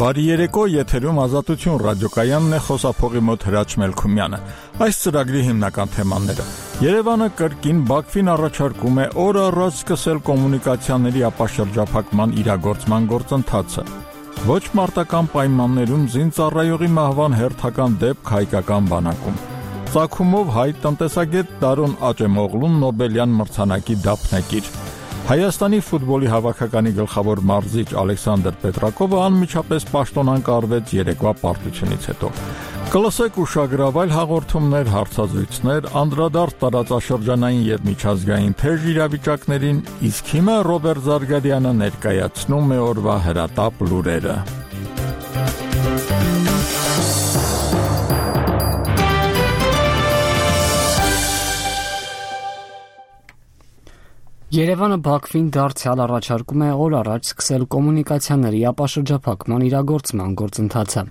Բարի երեկո, եթերում Ազատություն ռադիոկայանն է, խոսափողի մոտ Հրաչ Մելքումյանը։ Այս ծրագրի հիմնական թեմաները. Երևանը կրկին Բաքվին առաջարկում է օր առաջ սկսել կոմունիկացիաների ապաշրջափակման իրագործման գործընթացը։ Ոչ մարտական պայմաններում զինծառայողի մահվան հերթական դեպք հայկական բանակում։ Ծագումով հայ տնտեսագետ Տարոն Աճեմօղլուն Նոբելյան մրցանակի դափնեկիր։ Հայաստանի ֆուտբոլի հավաքականի գլխավոր մարզիչ Ալեքսանդր Պետրակովը անմիջապես պաշտոնանկարվեց երեկվա պարտությունից հետո։ Կլսեք ուշագրավայր հաղորդումներ, հարցազրույցներ, անդրադարձ տարածաշրջանային եւ միջազգային թեժ իրավիճակներին, իսկ հիմա Ռոբերտ Զարգարյանը ներկայացնում է օրվա հրատապ լուրերը։ Երևանը Բաքվին դարձյալ առաջարկում է օր առաջ սկսել կոմունիկացիաների ապաշրջափակման իրագործման գործընթացը։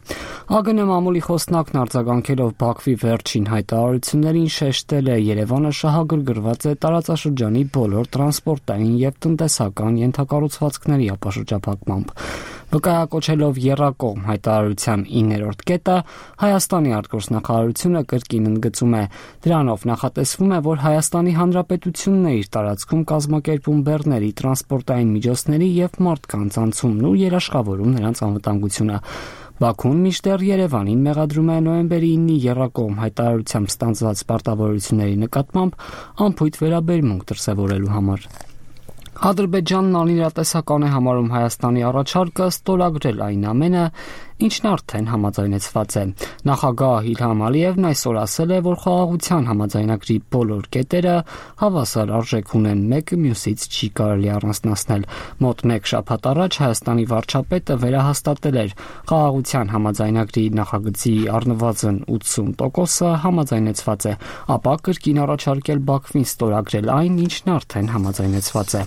ԱԳՆ մամուլի խոսնակն արձագանքելով Բաքվի վերջին հայտարարություններին շեշտել է Երևանը շահագրգռված է տարածաշրջանի բոլոր տրանսպորտային եւ տնտեսական ենթակառուցվածքների ապաշրջափակմամբ։ Վկայակոչելով եռակողմ հայտարարության 9-րդ կետը, Հայաստանի արտգործնախարարությունը կրկին ընդգծում է. դրանով նախատեսվում է, որ Հայաստանի Հանրապետությունն է իր տարածքում կազմակերպում բեռների, տրանսպորտային միջոցների եւ մարդկանց անցումն ու երաշխավորում նրանց անվտանգությունը։ Բաքուն մինչդեռ Երևանին մեղադրում է նոյեմբերի 9-ի եռակողմ հայտարարությամբ ստանձնված պարտավորությունների նկատմամբ անփույթ վերաբերմունք դրսևորելու համար։ Ադրբեջանն անիրատեսական է համարում Հայաստանի առաջարկը ստորագրել այն ամենը, ինչն արդեն համաձայնեցված է։ Նախագահ Իլհամ Ալիևն այսօր ասել է, որ խաղաղության համաձայնագրի բոլոր կետերը հավասար արժեք ունեն, մեկը մյուսից չի կարելի առանձնացնել։ Մոտ մեկ շաբաթ առաջ Հայաստանի վարչապետը վերահաստատել էր խաղաղության համաձայնագրի նախագծի առնվազն 80%-ը համաձայնեցված է, ապա կրկին առաջարկել Բաքվին ստորագրել այն, ինչն արդեն համաձայնեցված է։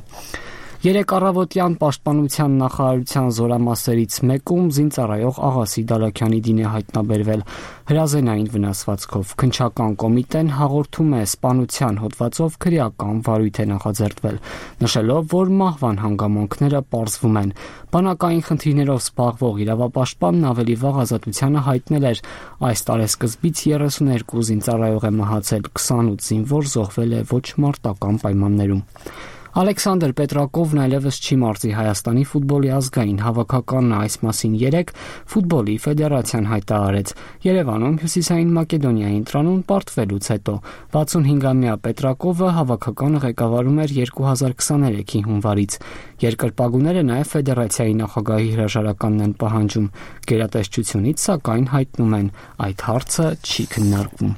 Երեկ առավոտյան պաշտպանության նախարարության զորամասերից մեկում զինծառայող Աղասի Դալաքյանի դին է հայտնաբերվել հրազենային վնասվածքով։ Քննչական կոմիտեն հաղորդում է սպանության հոդվածով քրեական վարույթ է նախաձեռնվել, նշելով, որ մահվան հանգամանքները պարզվում են։ Բանակային խնդիրներով զբաղվող իրավապաշտպանն ավելի վաղ ազատությանը հայտնել էր, այս տարեսկզբից 32 զինծառայող է մահացել, 28 զինվոր զոհվել է ոչ մարտական պայմաններում։ Ալեքսանդր Պետրակովն այլևս չի մարզի Հայաստանի ֆուտբոլի ազգային հավաքականը այս մասին երեկ ֆուտբոլի ֆեդերացիան հայտարարեց։ Երևանում Հյուսիսային Մակեդոնիայի ընտրանուն պարտվելուց հետո 65-ամյա Պետրակովը հավաքականը ղեկավարում էր 2023-ի հունվարից։ Երկրպագուները նաև ֆեդերացիայի նախագահի հրաժարականն են պահանջում։ Գերատեսչությունից սակայն հայտնում են, այդ հարցը չի քննարկվում։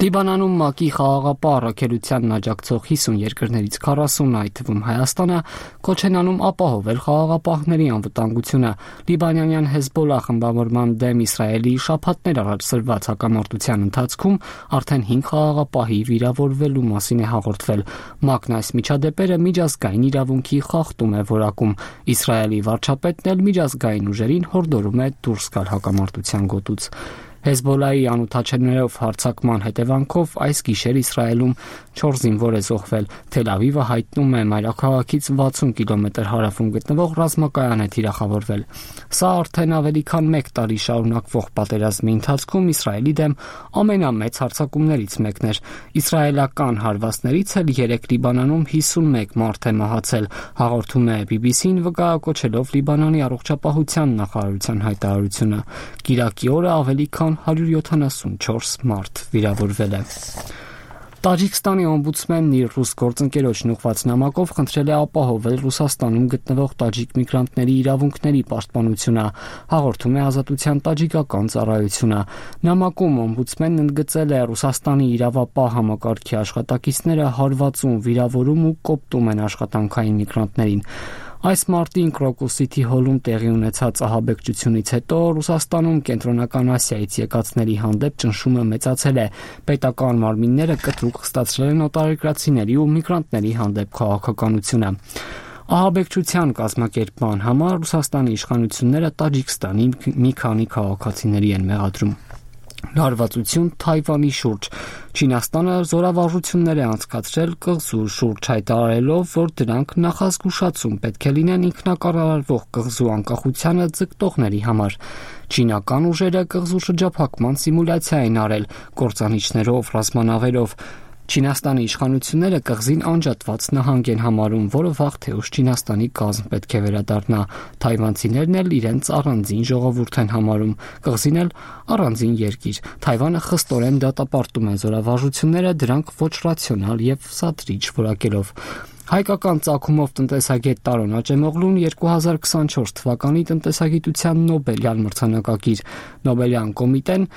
Լիբանանում ՄԱԿ-ի խաղաղապահ առաքելությանն աջակցող 50 երկրներից 40-ը, այդ թվում Հայաստանը, կոչ են անում ապահովել խաղաղապահների անվտանգությունը։ Լիբանանյան Հեզբոլլահ խմբավորման դեմ Իսրայելի շաբաթներ առաջ սրված հակամարտության ընթացքում արդեն 5 խաղաղապահի վիրավորվելու մասին է հաղորդվել։ ՄԱԿ-ն այս միջադեպերը միջազգային իրավունքի խախտում է որակում։ Իսրայելի վարչապետն էլ միջազգային ուժերին հորդորում է դուրս գալ հակամարտության գոտուց։ Հեզբոլլահի անօդաչելներով հարձակման հետևանքով այս գիշեր Իսրայելում 4 զինվոր է զոհվել։ Թել Ավիվը հայտնում է մայրաքաղաքից 60 կիլոմետր հարավում գտնվող ռազմակայան է թիրախավորվել։ Սա արդեն ավելի քան 1 տարի շարունակվող պատերազմի ընթացքում Իսրայելի դեմ ամենամեծ հարձակումներից մեկն էր։ Իսրայելական հարվածներից էլ 3 Լիբանանում 51 մարդ է մահացել, հաղորդում է BBC-ն վկայակոչելով Լիբանանի առողջապահության նախարարության հայտարարությունը։ Կիրակի օրը ավելի քան 174 մարդ վիրավորվել է։ Տաջիկստանի օմբուդսմենն իր ռուս գործընկերոջն ուղղված նամակով խնդրել է ապահովել Ռուսաստանում գտնվող տաջիկ միգրանտների իրավունքների պաշտպանությունը, հաղորդում է Ազատության տաջիկական ծառայությունը։ Նամակում օմբուդսմենն ընդգծել է Ռուսաստանի իրավապահ համակարգի աշխատակիցները հարվածում, վիրավորում ու կոպտում են աշխատանքային միգրանտներին։ Այս մարտին Կրոկուսիթի հոլում տեղի ունեցած ահաբեկչությունից հետո Ռուսաստանում Կենտրոնական Ասիայից եկածների հանդեպ ճնշումը մեծացել է։ Պետական մարմինները կտրուկ խստացրել են օտարերկրացիների ու միգրանտների հանդեպ քաղաքականությունը։ Ահաբեկչության կազմակերպման համար Ռուսաստանի իշխանությունները Տաջիկստանի մի քանի քաղաքացիների են մեղադրում։ լարվածություն Թայվանի շուրջ։ Չինաստանը զորավարժություններ է անցկացրել կղզու շուրջ, հայտարարելով, որ դրանք նախազգուշացում պետք է լինեն ինքնակառավարվող կղզու անկախությանը ձգտողների համար։ Չինական ուժերը կղզու շրջափակման սիմուլյացիա են արել կործանիչներով, ռազմանավերով։ Չինաստանի իշխանությունները կղզին անջատված նահանգ են համարում, որը վաղ թե ուշ Չինաստանի կազմ պետք է վերադառնա։ Թայվանցիներն էլ իրենց առանձին ժողովուրդ են համարում, կղզին էլ առանձին երկիր։ Թայվանը խստորեն դատապարտում է զորավարժությունները, դրանք ոչ ռացիոնալ եւ սադրիչ որակելով։ Հայկական ծագումով տնտեսագետ Տարոն Աճեմօղլուն 2024 թվականի տնտեսագիտության Նոբելյան մրցանակակիր։ Նոբելյան կոմիտեն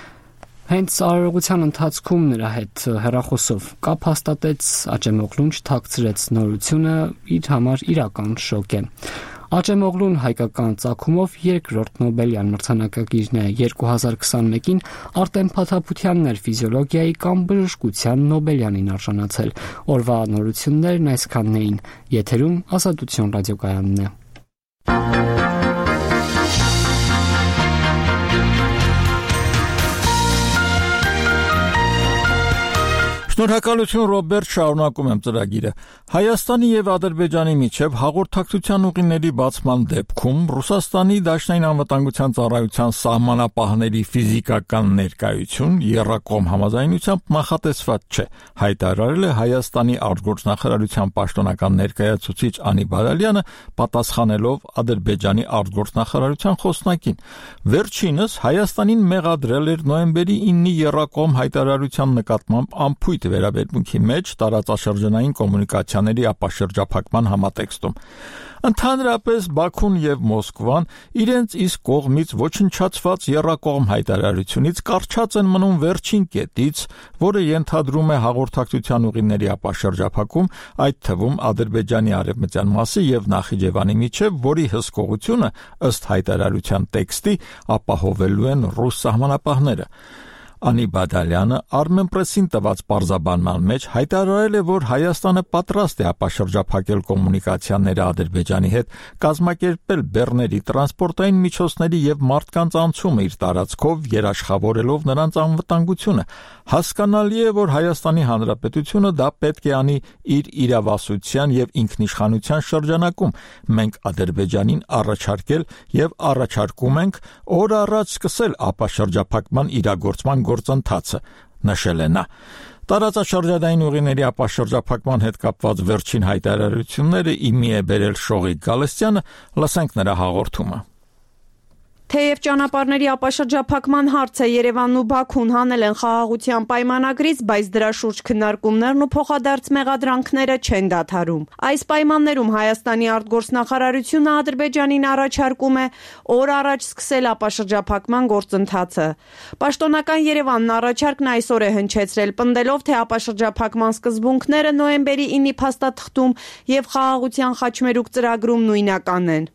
հենց արարողության ընթացքում նրա հետ հեռախոսով կապ հաստատեց, Աճեմօղլուն չթաքցրեց նորությունը իր համար իրական շոկ է։ Աճեմօղլուն հայկական ծագումով երկրորդ Նոբելյան մրցանակակիրն է, 2021-ին Արտեմ Փաթափությանն էր ֆիզիոլոգիայի կամ բժշկության Նոբելյանին արժանացել։ Օրվա նորություններն այսքանն էին։ Եթերում Ազատություն ռադիոկայանն է։ Շնորհակալություն Ռոբերտ, շարունակում եմ ծրագիրը։ Հայաստանի եւ Ադրբեջանի միջև հաղորդակցության ուղիների բացման դեպքում Ռուսաստանի Դաշնային անվտանգության ծառայության սահմանապահների ֆիզիկական ներկայություն եռակողմ համաձայնությամբ նախատեսված չէ, հայտարարել է Հայաստանի արտգործնախարարության պաշտոնական ներկայացուցիչ Անի Բադալյանը, պատասխանելով Ադրբեջանի արտգործնախարարության խոսնակին։ Վերջինս Հայաստանին մեղադրել էր նոյեմբերի 9-ի եռակողմ հայտարարության նկատմամբ ամփույթ վերաբերմունքի մեջ տարածաշրջանային կոմունիկացիաների ապաշրջափակման համատեքստում։ Ընդհանրապես Բաքուն եւ Մոսկվան իրենց իսկ կողմից ոչնչացված եռակողմ հայտարարությունից կարճած են մնում վերջին կետից, որը ենթադրում է հաղորդակցության ուղիների ապաշրջափակում, այդ թվում Ադրբեջանի արևմտյան մասի եւ Նախիջևանի միջև, որի հսկողությունը ըստ հայտարարության տեքստի ապահովելու են ռուս սահմանապահները։ Անի Բադալյանը Armenpress-ին տված պարզաբանման մեջ հայտարարել է, որ Հայաստանը պատրաստ է ապաշրջափակել կոմունիկացիաները Ադրբեջանի հետ, կազմակերպել բեռների տրանսպորտային միջոցների եւ մարդկանց անցումը իր տարածքով, երաշխավորելով նրանց անվտանգությունը։ Հասկանալի է, որ Հայաստանի Հանրապետությունը դա պետք է անի իր իրավասության եւ ինքնիշխանության շրջանակում։ Մենք Ադրբեջանին առաջարկել եւ առաջարկում ենք օր առաջ սկսել ապաշրջափակման իրագործման գործընթացը, նշել է նա։ Տարածաշրջանային ուղիների ապաշրջափակման հետ կապված վերջին հայտարարությունները իմի է բերել Շողիկ Գալստյանը, լսենք նրա հաղորդումը։ Թեև ճանապարհների ապաշրջափակման հարցը Երևանն ու Բաքուն հանել են խաղաղության պայմանագրից, բայց դրա շուրջ քննարկումներն ու փոխադարձ մեղադրանքները չեն դադարում։ Այս պայմաններում Հայաստանի արտգործնախարարությունը Ադրբեջանին առաջարկում է օր առաջ սկսել ապաշրջափակման գործընթացը։ Պաշտոնական Երևանն առաջարկն այսօր է հնչեցրել, պնդելով, թե ապաշրջափակման սկզբունքները նոյեմբերի 9-ի փաստաթղթում եւ խաղաղության խաչմերուկ ծրագրում նույնական են։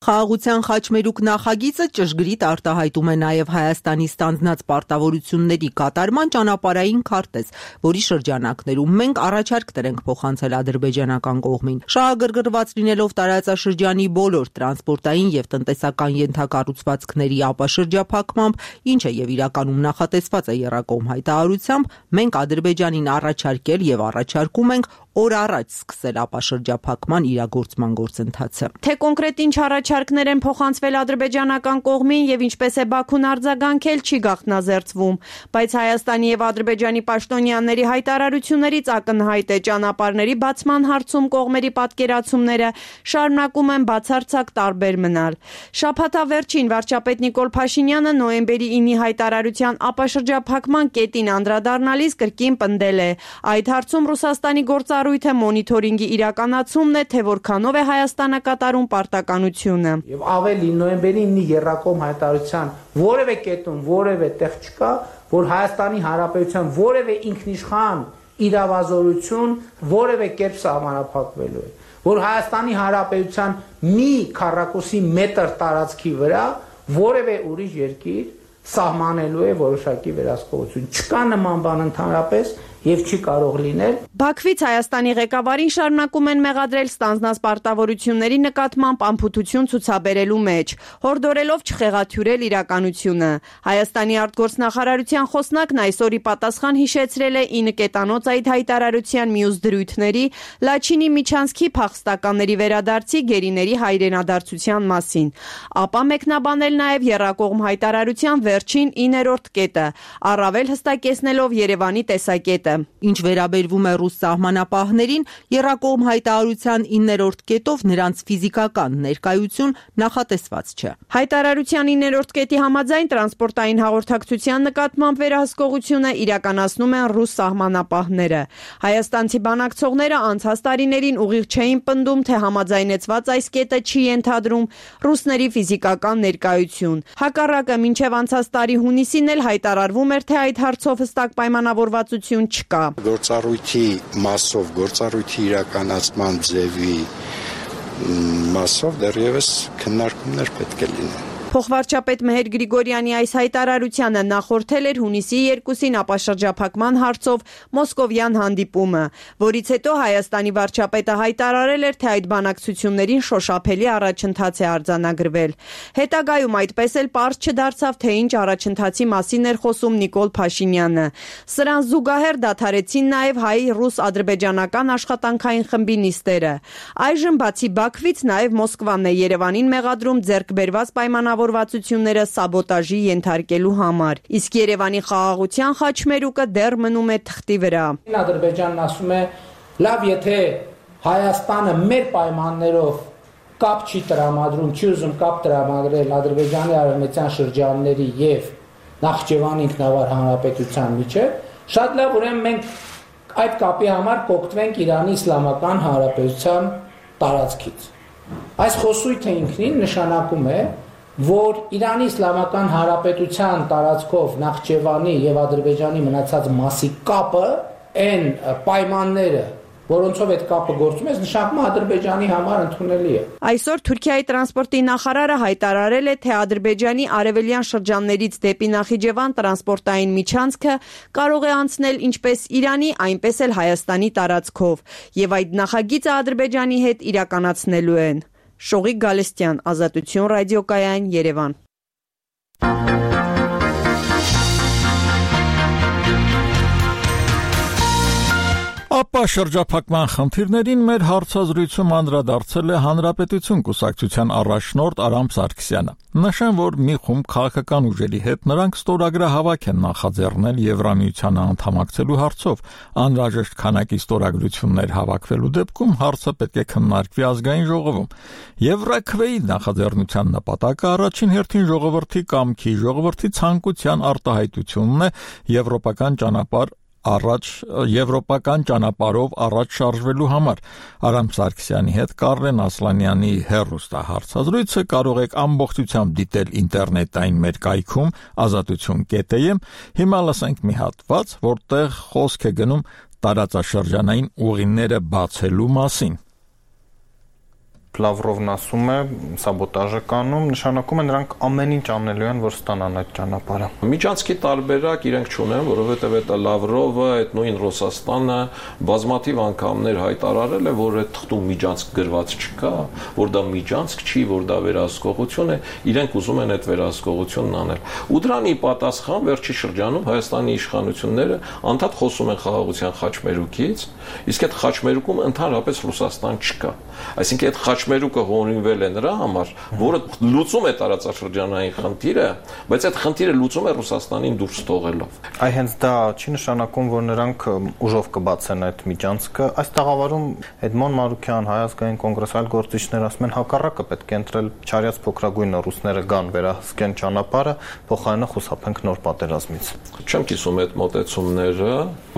Խաղաղության խաչմերուկ նախագիծը ճշգրիտ արտահայտում է նաև Հայաստանի ստանձնած պարտավորությունների կատարման ճանապարհային քարտեզ, որի շրջանակներում մենք առաջարկ տրենք փոխանցել ադրբեջանական կողմին։ Շահագրգռված լինելով տարածաշրջանի բոլոր տրանսպորտային եւ տնտեսական ենթակառուցվածքների ապաշրջափակմամբ, ինչը եւ իրականում նախատեսված է եռակողմ հայտարարությամբ, մենք Ադրբեջանին առաջարկել եւ առաջարկում ենք օր առաջ սկսել ապաշրջափակման իրագործման գործընթացը։ Թե կոնկրետ ինչ առաջարկներ են փոխանցվել ադրբեջանական կողմին եւ ինչպես է Բաքուն արձագանքել, չի գաղտնազերծվում, բայց Հայաստանի եւ Ադրբեջանի պաշտոնյաների հայտարարություններից ակնհայտ է ճանապարհների բացման հարցում կողմերի պատկերացումները շարունակում են բացարձակ տարբեր մնալ։ Շաբաթավերջին վարչապետ Նիկոլ Փաշինյանը նոյեմբերի 9-ի հայտարարության ապաշրջափակման կետին անդրադառնալիս կրկին պնդել է. այդ հարցում Ռուսաստանի գործառույթը մոնիթորինգի իրականացումն է, թե որքանով է Հայաստանը կատարում պարտականությունը։ Եվ ավելի նոյեմբերի 9-ի եռակողմ հայտարարության որևէ կետում որևէ տեղ չկա, որ Հայաստանի Հանրապետության որևէ ինքնիշխան իրավազորություն որևէ կերպ սահմանափակվելու է, որ Հայաստանի Հանրապետության մի քառակուսի մետր տարածքի վրա որևէ ուրիշ երկիր սահմանելու է որոշակի վերահսկողություն։ Չկա նման բան ընդհանրապես եւ չի կարող լինել։ Բաքվից Հայաստանի ղեկավարին շարունակում են մեղադրել ստանձնած պարտավորությունների նկատմամբ անփութություն ցուցաբերելու մեջ, հորդորելով չխեղաթյուրել իրականությունը։ Հայաստանի արտգործնախարարության խոսնակն այսօրի պատասխան հիշեցրել է 9 կետանոց այդ հայտարարության մյուս դրույթների Լաչինի Միչանսկի փախստականների վերադարձի գերիների հայրենադարձության մասին։ Ապա մեկնաբանել նաև եռակողմ հայտարարության վերջին 9-րդ կետը, առավել հստակեցնելով Երևանի տեսակետը։ Ինչ վերաբերվում է ռուս սահմանապահներին, եռակողմ հայտարարության 9-րդ կետով նրանց ֆիզիկական ներկայություն նախատեսված չէ։ Հայտարարության 9-րդ կետի համաձայն տրանսպորտային հաղորդակցության նկատմամբ վերահսկողությունը իրականացնում են ռուս սահմանապահները։ Հայաստանցի բանակցողները անցած տարիներին ուղիղ չէին պնդում, թե համաձայնեցված այս կետը չի ենթադրում ռուսների ֆիզիկական ներկայություն։ Հակառակը մինչև անցած տարի հունիսին էլ հայտարարվում էր, թե այդ հարցով հստակ պայմանավորվածություն չկա։ Գործառույթի մասով, գործառույթի իրականացման ձևի մասով դեռևս քննարկումներ պետք է լինեն։ Փոխվարչապետ Մեհեր Գրիգորյանի այս հայտարարությանը նախորդել էր հունիսի 2-ին ապաշրջափակման հարցով մոսկովյան հանդիպումը, որից հետո Հայաստանի վարչապետը հայտարարել էր, թե այդ բանակցություններին շոշափելի առաջընթաց է արձանագրվել։ Հետագայում այդպես էլ պարզ չդարձավ, թե ինչ առաջընթացի մասին էր խոսում Նիկոլ Փաշինյանը։ Սրան զուգահեռ դադարեցին նաև հայ-ռուս-ադրբեջանական աշխատանքային խմբի նիստերը։ Այժմ բացի Բաքվից նաև Մոսկվան է Երևանին մեղադրում ձեռքբերված պայմանավորվածությունները սաբոտաժի ենթարկելու համար։ Իսկ Երևանի խաղաղության խաչմերուկը դեռ մնում է թղթի վրա։ Ադրբեջանն ասում է, լավ, եթե Հայաստանը մեր պայմաններով կապ չի տրամադրում, չի ուզում կապ տրամադրել Ադրբեջանի արևմտյան շրջանների եւ Նախճեվանի ինքնավար հանրապետության միջեւ, շատ լավ, ուրեմն մենք այդ կապի համար կօգտվենք Իրանի Իսլամական Հանրապետության տարածքից։ Այս խոսույթը ինքնին նշանակում է, որ Իրանի Իսլամական Հանրապետության տարածքով Նախճեվանի եւ Ադրբեջանի մնացած մասի կապը, այն պայմանները, որոնցով այդ կապը գործում է, նշանակում է Ադրբեջանի համար ընդունելի է։ Այսօր Թուրքիայի տրանսպորտի նախարարը հայտարարել է, թե Ադրբեջանի արևելյան շրջաններից դեպի Նախիջևան տրանսպորտային միջանցքը կարող է անցնել ինչպես Իրանի, այնպես էլ Հայաստանի տարածքով, եւ այդ նախագիծը Ադրբեջանի հետ իրականացնելու են։ Շողիկ Գալստյան, Ազատություն ռադիոկայան, Երևան։ Ապա շրջափակման խնդիրներին մեր հարցազրույցում անդրադարձել է Հանրապետություն կուսակցության առաջնորդ Արամ Սարգսյանը։ Նշեմ, որ մի խումբ քաղաքական ուժերի հետ նրանք ստորագրահավաք են նախաձեռնել Եվրամիությանը անդամակցելու հարցով։ Անհրաժեշտ քանակի ստորագրություններ հավաքվելու դեպքում հարցը պետք է քննարկվի ազգային ժողովում։ Եվրաքվեի նախաձեռնության նպատակը առաջին հերթին ժողովրդի կամքի, ժողովրդի ցանկության արտահայտությունն է եվրոպական ճանապարհով առաջ շարժվելու համար։ Արամ Սարգսյանի հետ Կարեն Ասլանյանի հեռուստահարցազրույցը կարող եք ամբողջությամբ դիտել ինտերնետային մեր կայքում azatutun.am։ Հիմա լսենք մի հատված, որտեղ խոսք է գնում տարածաշրջանային ուղիները բացելու մասին։ Լավրովն ասում է, սաբոտաժը կանում, նշանակում է նրանք ամեն ինչ անելու են, որ ստանան այդ ճանապարհը։ Միջանցքի տարբերակ իրենք չունեն, որովհետև այդ Լավրովը, այդ նույն Ռուսաստանը բազմաթիվ անգամներ հայտարարել է, որ այդ թղթում միջանցք գրված չկա, որ դա միջանցք չի, որ դա վերահսկողություն է, իրենք ուզում են այդ վերահսկողությունն անել։ Ու դրան ի պատասխան վերջի շրջանում Հայաստանի իշխանությունները անդադ խոսում են խաղաղության խաչմերուկից, իսկ այդ խաչմերուկում ընդհանրապես Ռուսաստան չկա։ Այսինքն այդ խաչմերուկը հորինվել է նրա համար, որը լուծում է տարածաշրջանային խնդիրը, բայց այդ խնդիրը լուծում է Ռուսաստանին դուրս թողելով։ Այ հենց դա չի նշանակում, որ նրանք ուժով կբացեն այդ միջանցքը։ Այս տաղավարում Էդմոն Մարուկյան, Հայ ազգային կոնգրես, այլ գործիչներ ասում են հակառակը պետք է ընտրել չարյաց փոքրագույնը ռուսները գան վերահսկեն ճանապարհը, փոխարենը խուսափենք նոր պատերազմից։ Չեմ կիսում այդ մոտեցումները,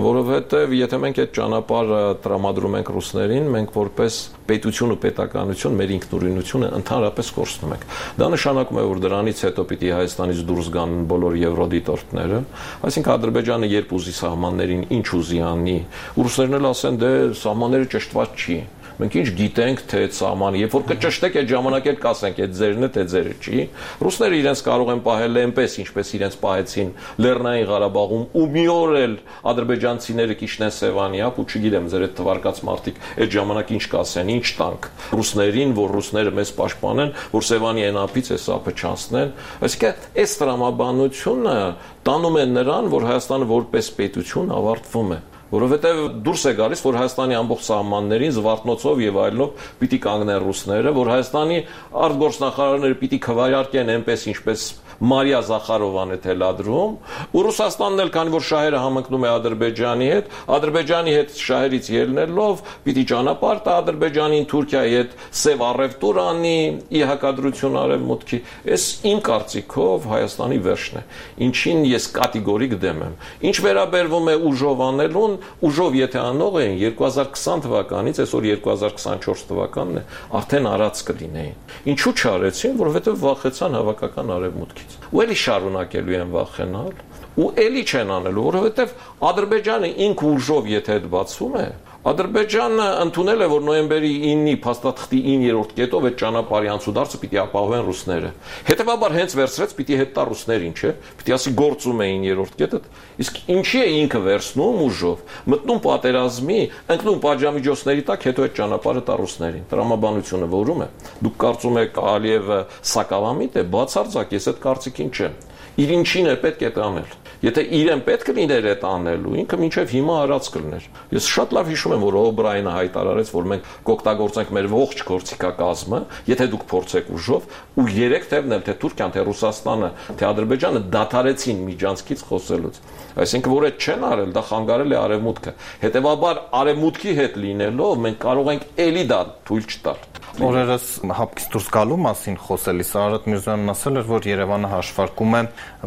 որովհետև եթե մենք այդ ճանապարհը տրամադրում ենք ռուսներին, մենք որպես պետություն ու պետականություն մեր ինքնուրույնությունը ընդհանրապես կորցնում ենք։ Դա նշանակում է, որ դրանից հետո պիտի Հայաստանից դուրս գան բոլոր եվրոդիտորդները, այսինքն Ադրբեջանը երբ ուզի սահմաններին ինչ ուզի անի, ռուսներն էլ ասեն, դե սահմանները ճշտված չի։ Մենք ինչ գիտենք, թե այդ սահմանը, երբ որ կճշտեք այդ ժամանակ էլ կասենք, այդ ձերն է, թե ձերը չի։ Ռուսները իրենց կարող են պահել այնպես, ինչպես իրենց պահեցին Լեռնային Ղարաբաղում, ու մի օր էլ ադրբեջանցիները կիջնեն Սևանիապ, ու չգիտեմ, ձեր այդ թվարկած մարդիկ այդ ժամանակ ինչ կասեն, ինչ տանք ռուսներին, որ ռուսները մեզ պաշտպանեն, որ Սևանիային ափից այս ափը չանցնեն։ Այսինքն այս տրամաբանությունը տանում է նրան, որ Հայաստանը որպես պետություն ավարտվում է, որովհետև դուրս է գալիս, որ Հայաստանի ամբողջ սահմաններին զվարթնոցով եւ այլնով պիտի կանգնեն ռուսները, որ Հայաստանի արտգործնախարարները պիտի քվայարկեն այնպես, ինչպես Մարիա Զախարովան է թելադրում, ու Ռուսաստանն էլ, քանի որ շահերը համընկնում է Ադրբեջանի հետ շահերից ելնելով, պիտի ճանապարհ տա Ադրբեջանին Թուրքիայի հետ սև առևտուր անի, ի հակադրություն արևմուտքի։ Այս իմ կարծիքով Հայաստանի վերջն է, ինչին ես կատեգորիկ դեմ եմ։ Ինչ վերաբերվում է ուժով անելուն, ուժով եթե անող էին 2020 թվականից, այսօր 2024 թվականն է, արդեն արած կլինեին։ Ինչու չարեցին, որովհետև վախեցան հավաքական արևմուտքի։ Ու էլի շարունակելու են վախենալ, ու էլի չեն անելու, որովհետև Ադրբեջանը ինքը ուժով եթե այդ բացվում է, Ադրբեջանը ընդունել է, որ նոյեմբերի 9-ի փաստաթղթի 9-րդ կետով այդ ճանապարհի անցուդարձը պիտի ապահովեն ռուսները։ Հետևաբար հենց վերցրեց պիտի հետ տա ռուսներին, չէ՞։ Պիտի ասի գործում է 9-րդ կետը։ Իսկ ինչի է ինքը վերցնում ուժով, մտնում պատերազմի, ընկնում պատժամիջոցների տակ, հետո այդ ճանապարհը տա ռուսներին։ Տրամաբանությունը որում է։ Դուք կարծում եք Ալիևը սակավամիտ է, բացարձակ, ես այդ կարծիքին չեմ։ Իր ինչին է պետք է անել։ Եթե իրեն պետք լիներ այդ անելու, ինքը մինչև հիմա արած կլներ։ Ես շատ լավ հիշում եմ, որ Օբրայենը հայտարարեց, որ մենք կօգտագործենք մեր ողջ գործիքակազմը, եթե դուք փորձեք ուժով, ու 3 թևն էլ թե Թուրքիան, թե Ռուսաստանը, թե Ադրբեջանը դադարեցին միջանցքից խոսելուց։ Այսինքն, որ այդ չեն արել, դա խանգարել է արևմուտքը։ Հետևաբար արևմուտքի հետ լինելով մենք կարող ենք էլի դա թույլ չտալ։ Օրերս հապկից դուրս գալու մասին խոսելիս Արարատ Միրզոյանն ասել էր, որ Երևանը հաշվարկում է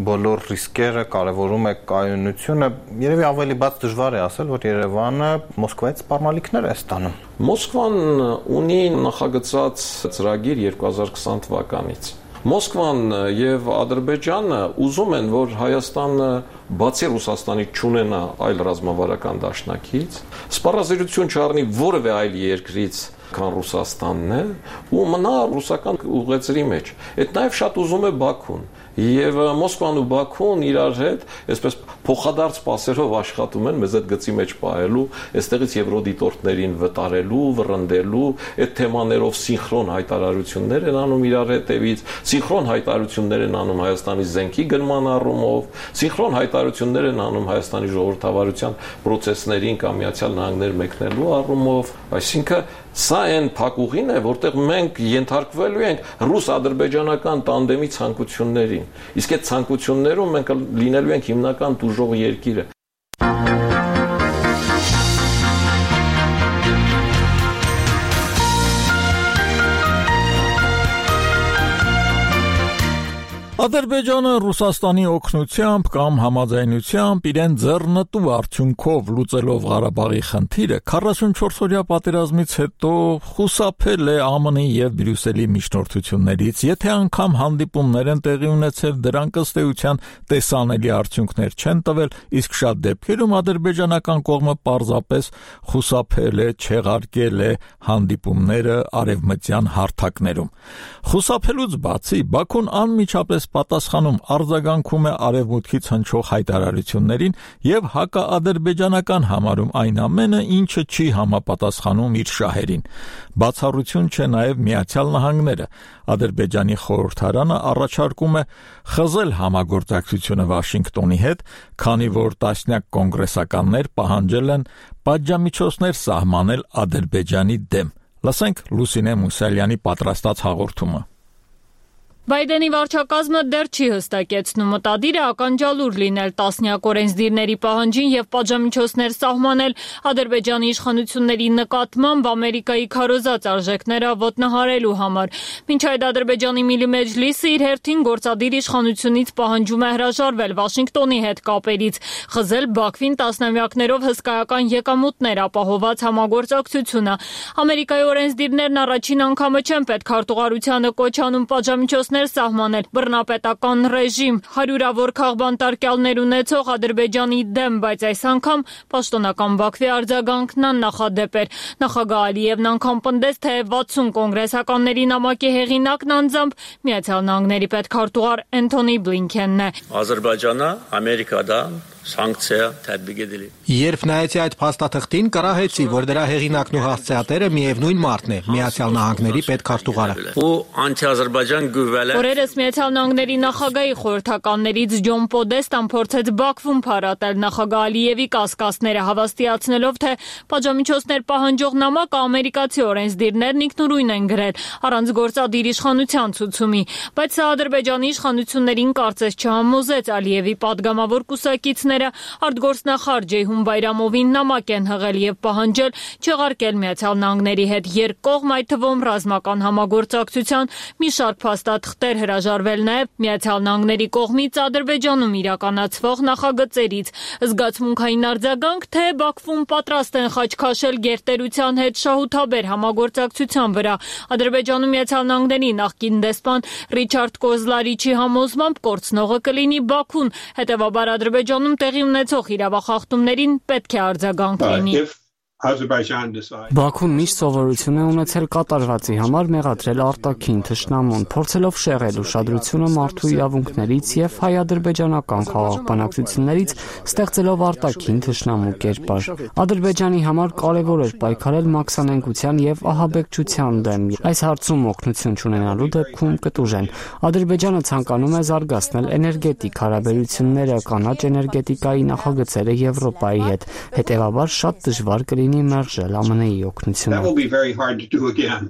բոլոր ռիսկերը, կարևորում է կայունությունը։ Երևի ավելի բաց դժվար է ասել, որ Երևանը Մոսկվայից սպառնալիքներ է ստանում։ Մոսկվան ունի նախագծած ծրագիր 2020 թվականից։ Մոսկվան եւ Ադրբեջանը ուզում են, որ Հայաստանը բացի Ռուսաստանից չունենա այլ ռազմավարական դաշնակից, սպառազինություն չառնի որևէ այլ երկրից, քան Ռուսաստանն է, ու մնա ռուսական ուղեծրի մեջ։ Այդ նաև շատ ուզում է Բաքուն։ Եվ Մոսկվան ու Բաքուն իրար հետ այսպես փոխադարձ սպասերով աշխատում են մեզ այդ գծի մեջ պահելու, այստեղից եվրոդիտորդներին վտարելու, վռնդելու, այդ թեմաներով սինխրոն հայտարարություններ են անում իրար հետևից, սինխրոն հայտարարություններ են անում Հայաստանի զենքի գնման առումով, սինխրոն հայտարարություններ են անում Հայաստանի ժողովրդավարության պրոցեսներին կամ Միացյալ Նահանգներ մեկնելու առումով, այսինքն սա այն փակուղին է, որտեղ մենք ենթարկվելու ենք ռուս-ադրբեջանական տանդեմի ցանկություններին։ Իսկ այդ ցանկություններում մենք լինելու ենք հիմնական տուժող երկիրը։ Ադրբեջանը Ռուսաստանի օգնությամբ կամ համաձայնությամբ իրեն ձեռնտու արդյունքով լուծելով Ղարաբաղի խնդիրը 44-օրյա պատերազմից հետո խուսափել է ԱՄՆ-ի եւ Բրյուսելի միջնորդություններից, եթե անգամ հանդիպումներ են տեղի ունեցել, դրանք ըստ էության տեսանելի արդյունքներ չեն տվել, իսկ շատ դեպքերում ադրբեջանական կողմը պարզապես խուսափել է, չեղարկել է հանդիպումները արևմտյան հարթակներում։ Խուսափելուց բացի Բաքուն անմիջապես պատասխանում արձագանքում է արևմուտքից հնչող հայտարարություններին եւ հակաադրբեջանական համարում այն ամենը, ինչը չի համապատասխանում իր շահերին։ Բացառություն չէ նաեւ Միացյալ Նահանգները։ Ադրբեջանի խորհրդարանը առաջարկում է խզել համագործակցությունը Վաշինգտոնի հետ, քանի որ տասնյակ կոնգրեսականներ պահանջել են պատժամիջոցներ սահմանել Ադրբեջանի դեմ։ Լսենք Լուսինե Մուսալյանի պատրաստած հաղորդումը։ Բայդենի վարչակազմը դեռ չի հստակեցնում մտադիր է ականջալուր լինել տասնյակ օրենսդիրների պահանջին եւ պատժամիջոցներ սահմանել Ադրբեջանի իշխանությունների նկատմամբ Ամերիկայի քարոզած արժեքները ոտնահարելու համար։ Մինչ այդ Ադրբեջանի Միլի Մեջլիսը իր հերթին գործադիր իշխանությունից պահանջում է հրաժարվել Վաշինգտոնի հետ կապերից, խզել Բաքվին տասնամյակներով հսկայական եկամուտներ ապահոված համագործակցությունը։ Ամերիկայի օրենսդիրներն առաջին անգամը չեն պետքարտուղարությանը կոչ անում պատժամիջոցներ միջոցներ սահմանել բռնապետական ռեժիմ։ Հարյուրավոր քաղբանտարկյալներ ունեցող Ադրբեջանի դեմ, բայց այս անգամ պաշտոնական Բաքվի արձագանքն աննախադեպ էր։ Նախագահ Ալիևն անգամ պնդեց, թե 60 կոնգրեսականների նամակի հեղինակն անձամբ Միացյալ Նահանգների պետքարտուղար Էնթոնի Բլինքենն է։ Ադրբեջանը Ամերիկադան սանկցիա թեդբիգ edildi. Երբ նայեցի այդ փաստաթղթին, կռահեցի, որ դրա հեղինակն ու հասցեատերը միևնույն մարդն է, Միացյալ Նահանգների պետքարտուղարը։ Ու անտի-Ադրբեջան գյուվելը։ Օրերս Միացյալ Նահանգների նախագահի խորհրդականներից Ջոն Պոդեստան փորձեց Բաքվում փարատել նախագահ Ալիևի կասկածները, հավաստիացնելով, թե պատժամիջոցներ պահանջող նամակը ամերիկացի օրենսդիրներն ինքնուրույն են գրել, առանց գործադիր իշխանության ցուցումի, բայց սա Ադրբեջանի իշխանություններին կարծես չհամոզեց։ Ալիևի падգամավոր կուսակիցները արտգործնախարար Ջեյհուն Բայրամովին նամակ են հղել եւ պահանջել չեղարկել Միացյալ Նահանգների հետ երկկողմ, այդ թվում ռազմական համագործակցության մի շարք փաստաթղթեր, հրաժարվել նաեւ Միացյալ Նահանգների կողմից Ադրբեջանում իրականացվող նախագծերից։ Զգացմունքային արձագանք, թե Բաքվում պատրաստ են խաչքաշել գերտերության հետ շահութաբեր համագործակցության վրա։ Ադրբեջանում Միացյալ Նահանգների նախկին դեսպան Ռիչարդ Կոզլարիչի համոզմամբ կորցնողը կլինի Բաքուն, հետևաբար Ադրբեջանում տեղի ունեցող իրավախախտումներին պետք է արձագանք լինի։ Բաքուն միշտ սովորություն է ունեցել կատարվածի համար մեղադրել արտաքին թշնամուն, փորձելով շեղել ուշադրությունը մարդու իրավունքներից եւ հայ-ադրբեջանական խաղաղ բանակցություններից, ստեղծելով արտաքին թշնամու կերպար։ Ադրբեջանի համար կարևոր էր պայքարել մաքսանենգության եւ ահաբեկչության դեմ։ Այս հարցում օգնություն չունենալու դեպքում կտուժեն։ Ադրբեջանը ցանկանում է զարգացնել էներգետիկ հարաբերությունները, կանաչ էներգետիկայի նախագծերը Եվրոպայի հետ։ Հետևաբար շատ դժվար կլինի մերժել ԱՄՆ-ի օգնությունը։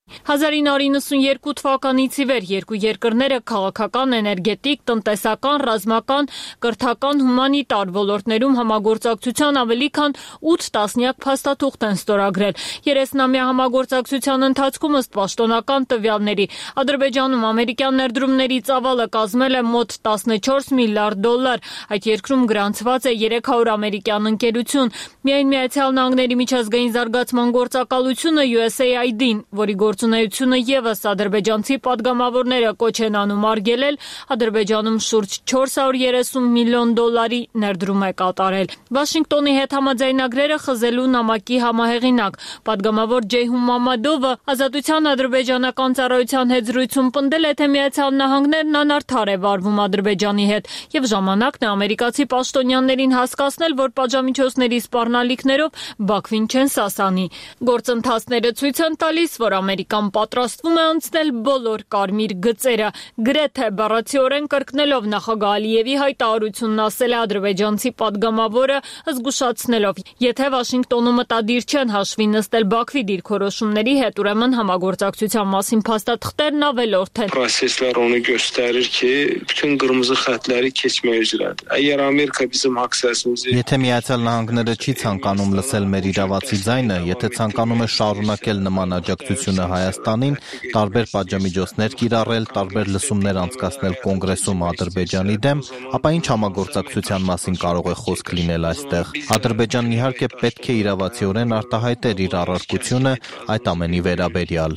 1992 թվականից ի վեր երկու երկրները քաղաքական, էներգետիկ, տնտեսական, ռազմական, կրթական, հումանիտար ոլորտներում համագործակցության ավելի քան 8 տասնյակ փաստաթուղթ են ստորագրել։ 30-ամյա համագործակցության ընթացքում ըստ պաշտոնական տվյալների Ադրբեջանում ամերիկյան ներդրումների ծավալը կազմել է մոտ 14 միլիարդ դոլար։ Այդ երկրում գրանցված է 300 ամերիկյան ընկերություն։ Միայն Միացյալ Նահանգների միջազգային զարգացման գործակալությունը USAID-ին, որի գործունեությունը եւս ադրբեջանցի падգամավորները կոչ են անում արգելել, Ադրբեջանում շուրջ 430 միլիոն դոլարի ներդրում է կատարել։ Վաշինգտոնի հետ համաձայնագրերը խզելու նամակի համահեղինակ падգամավոր Ջեյհուն Մամադովը Ազատության ադրբեջանական ծառայության հետ զրույցում պնդել է, թե Միացյալ Նահանգներն անարդար է վարվում Ադրբեջանի հետ եւ ժամանակն է ամերիկացի պաշտոնյաներին հասկացնել, որ պատժամիջոցների սպառնալիքներով Բաքվին չեն սասանի։ Գործընթացները ցույց են տալիս, որ Ամերիկան պատրաստվում է անցնել բոլոր կարմիր գծերը, գրեթե բառացիորեն կրկնելով նախագահ Ալիևի հայտարարությունն ասել է ադրբեջանցի падգամավորը, զգուշացնելով, եթե Վաշինգտոնում մտադիր չեն հաշվի նստել Բաքվի դիրքորոշումների հետ, ուրեմն համագործակցության մասին փաստաթղթերն ավելորդ են։ Proseslər onu göstərir ki, bütün qırmızı xəttləri keçmək üzrədir. Əgər Amerika bizim haqq-səsimizi Եթե Միացյալ Նահանգները չի ցանկանում լսել մեր իրավացի ձայնը, եթե ցանկանում է շարունակել նման աջակցությունը Հայաստանին, տարբեր պատժամիջոցներ կիրառել, տարբեր լսումներ անցկացնել Կոնգրեսում Ադրբեջանի դեմ, ապա ինչ համագործակցության մասին կարող է խոսք լինել այստեղ։ Ադրբեջանն իհարկե պետք է իրավացիորեն արտահայտեր իր առարկությունը այդ ամենի վերաբերյալ։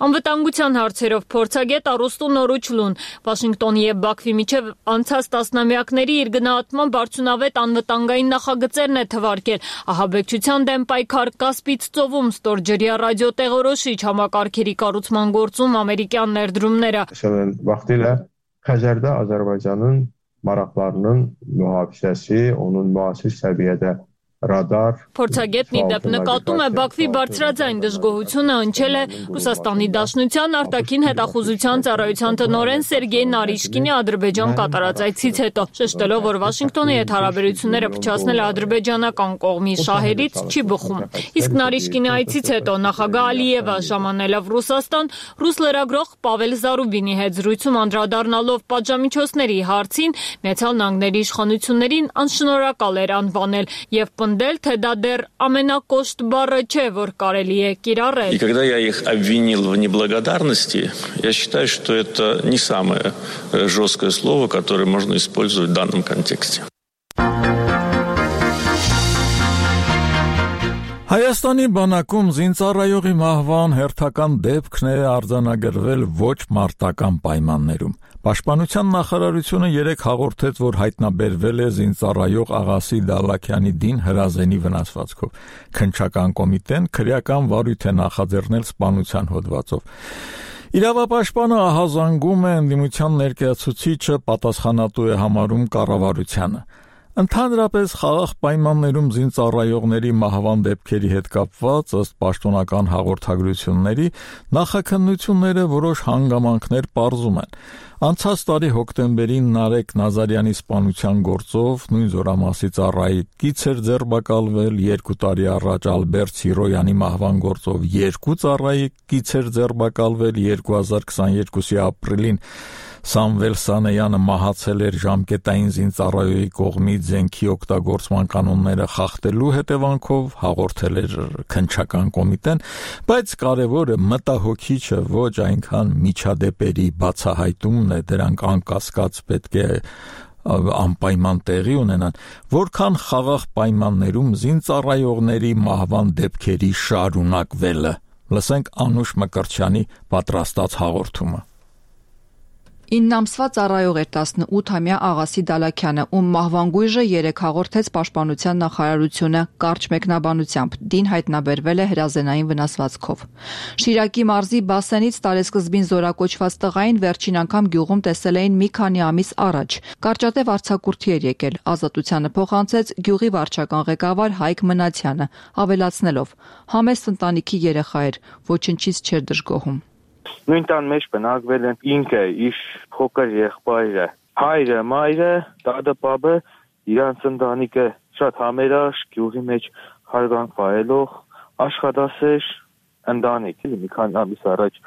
Անվտանգության հարցերով փորձագետ Արուստո Նորուչլուն Վաշինգտոնի եւ Բաքվի միջև անցած տասնամյակների իր գնահատման արդյունավետ անվտանգային նախագծերն է թվարկել։ Ահաբեկչության դեմ պայքար, Կասպից ծովում ստորջրյա ռադիոտեղորոշիչ համակարգերի կառուցման գործում ամերիկյան ներդրումները։ Vaxtilə Xəzərdə Azərbaycanın maraqlarının mühafizəsi, onun müasir səviyyədə radar Փորձագետն ի դեպ նկատում է Բաքվի բարձրաձայն դժգոհությունը հնչել է Ռուսաստանի Դաշնության արտաքին հետախուզության ծառայության տնօրեն Սերգեյ Նարիշկինի Ադրբեջան կատարած այցից հետո, շեշտելով, որ Վաշինգտոնի հետ հարաբերությունները փչացնել է ադրբեջանական կողմի շահերից չի բխում։ Իսկ Նարիշկինի այցից հետո նախագահ Ալիևը ժամանելով Ռուսաստան, ռուս լրագրող Պավել Զարուբինի հետ զրույցում անդրադառնալով պատժամիջոցների հարցին, Միացյալ Նահանգների իշխանություններին անշնորհակալ էր անվանել եւ пնդել, թե դա դեռ ամենակոշտ բառը չէ, որ կարելի է կիրառել։ И когда я их обвинил в неблагодарности, я считаю, что это не самое жесткое слово, которое можно использовать в данном контексте. Հայաստանի բանակում զինծառայողի մահվան հերթական դեպքն է արձանագրվել ոչ մարտական պայմաններում։ Պաշտպանության նախարարությունը երեկ հաղորդեց, որ հայտնաբերվել է զինծառայող Աղասի Դալաքյանի դին հրազենի վնասվածքով։ Քննչական կոմիտեն քրեական վարույթ է նախաձեռնել սպանության հոդվածով։ Իրավապաշտպանը ահազանգում է ընդդիմության ներկայացուցիչը պատասխանատու է համարում կառավարությանը։ Ընդհանրապես խաղաղ պայմաններում զինծառայողների մահվան դեպքերի հետ կապված ըստ պաշտոնական հաղորդագրությունների նախաքննությունները որոշ հանգամանքներ պարզում են։ Անցած տարի հոկտեմբերին Նարեկ Նազարյանի սպանության գործով նույն զորամասի ծառայի կից էր ձերբակալվել, 2 տարի առաջ Ալբերտ Սիրոյանի մահվան գործով 2 ծառայի կից էր ձերբակալվել, 2022-ի ապրիլին Սամվել Սանեյանը մահացել էր ժամկետային զինծառայողի կողմից զենքի օգտագործման կանոնները խախտելու հետևանքով, հաղորդել էր քննչական կոմիտեն, բայց կարևորը մտահոգիչը ոչ այնքան միջադեպերի բացահայտումն է, դրանք անկասկած պետք է անպայման տեղի ունենան, որքան խաղաղ պայմաններում զինծառայողների մահվան դեպքերի շարունակվելը։ Լսենք Անուշ Մկրտչյանի պատրաստած հաղորդումը։ 9 ամսվա ծառայող էր 18-ամյա Աղասի Դալաքյանը, ում մահվան գույժը երեկ հաղորդեց Պաշտպանության նախարարությունը կարճ մեկնաբանությամբ, դին հայտնաբերվել է հրազենային վնասվածքով։ Շիրակի մարզի Բասենից տարեսկզբին զորակոչված տղային վերջին անգամ գյուղում տեսել էին մի քանի ամիս առաջ։ Կարճատև արձակուրդի էր եկել, ազատությանը փոխանցեց գյուղի վարչական ղեկավար Հայկ Մնացյանը, ավելացնելով. համեստ ընտանիքի երեխա էր, ոչնչից չէր դժգոհում։ Նույն տան մեջ բնակվել են ինքը, իր փոքր եղբայրը, հայրը, մայրը, դադը, պապը, իրանց ընտանիքը շատ համերաշխ, գյուղի մեջ հարգանք վայելող, աշխատասեր ընտանիք, մի քանի ամիս առաջ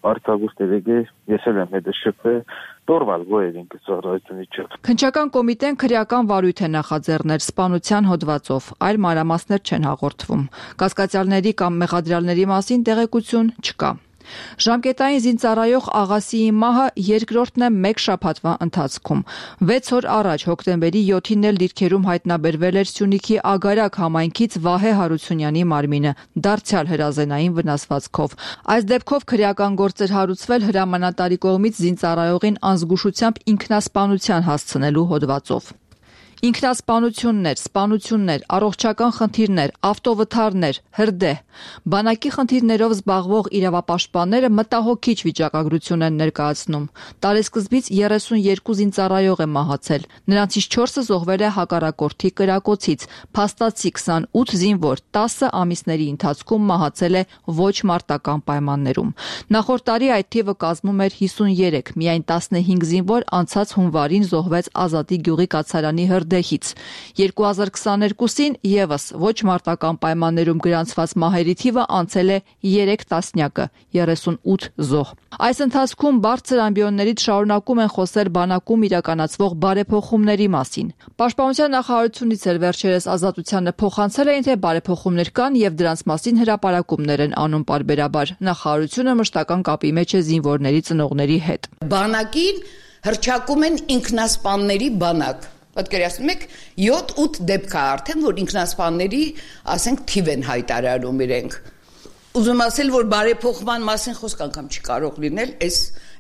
արձակուրդ եկել, ես էլ եմ հետը շփվել, տորվալ գոյեր ինքը ծառայությունից չէ։ Քննչական կոմիտեն քրեական վարույթ է նախաձեռնել սպանության հոդվածով, այլ մանրամասներ չեն հաղորդվում։ Կասկածյալների կամ մեղադրյալների մասին տեղեկություն չկա։ Ժամկետային զինծառայող Աղասիի մահը երկրորդն է մեկ շաբաթվա ընթացքում։ 6 օր առաջ հոկտեմբերի 7-ին էլ դիրքերում հայտնաբերվել էր Սյունիքի Ագարակ համայնքից Վահե Հարությունյանի մարմինը, դարձյալ հրազենային վնասվածքով։ Այս դեպքով քրեական գործ էր հարուցվել հրամանատարի կողմից զինծառայողին անզգուշությամբ ինքնասպանության հասցնելու հոդվածով։ Ինքնասպանություններ, սպանություններ, առողջական խնդիրներ, ավտովթարներ, հրդեհ։ Բանակի խնդիրներով զբաղվող իրավապաշտպանները մտահոգիչ վիճակագրություն են ներկայացնում։ Տարեսկզբից 32 զինծառայող է մահացել։ Նրանցից 4-ը զոհվել է հակառակորդի կրակոցից, փաստացի 28 զինվոր 10 ամիսների ընթացքում մահացել է ոչ մարտական պայմաններում։ Նախորդ տարի այդ թիվը կազմում էր 53, միայն 15 զինվոր անցած հունվարին զոհվեց Ազատի գյուղի կացարանի հրդեհից։ 2022-ին եւս ոչ մարտական պայմաններում գրանցված մահերի թիվը անցել է 3 տասնյակը, 38 զոհ։ Այս ընթացքում բարձր ամբիոններից շարունակում են խոսել բանակում իրականացվող բարեփոխումների մասին։ Պաշտպանության նախարարությունից էլ վերջերս ազատությանը փոխանցել էին, թե բարեփոխումներ կան եւ դրանց մասին հրապարակումներ են անում պարբերաբար։ Նախարարությունը մշտական կապի մեջ է զինվորների ծնողների հետ։ Բանակին հրճակում են ինքնասպանների բանակ։ Պատկերացնում եք 7-8 դեպք է արդեն, որ ինքնասպանների, ասենք, թիվ են հայտարարում իրենք։ Ուզում ասել, որ բարեփոխման մասին խոսք անգամ չի կարող լինել,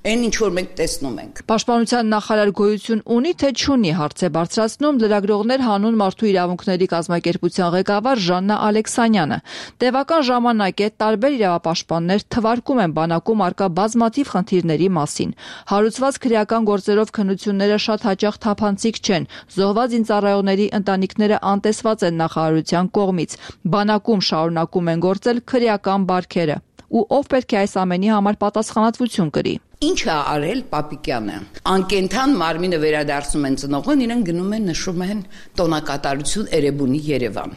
այն ինչ որ մենք տեսնում ենք։ Պաշտպանության նախարար գոյություն ունի, թե չունի, հարց է բարձրացնում լրագրողներ հանուն մարդու իրավունքների կազմակերպության ղեկավար Ժաննա Ալեքսանյանը։ Տևական ժամանակ է տարբեր իրավապաշտպաններ թվարկում են բանակում արկա բազմաթիվ խնդիրների մասին։ Հարուցված քրեական գործերով քննությունները շատ հաճախ թափանցիկ չեն։ Զոհված զինծառայողների ընտանիքները անտեսված են նախարարության կողմից։ Բանակում շարունակում են գործել քրեական բարքերը։ Ու ով պետք է այս ամենի համար պատասխանատվություն կրի։ Ինչ է արել Պապիկյանը։ Անկենթան մարմինը վերադարձնում են ծնողին, իրեն գնում են նշում են տոնակատարություն Էրեբունի Երևան։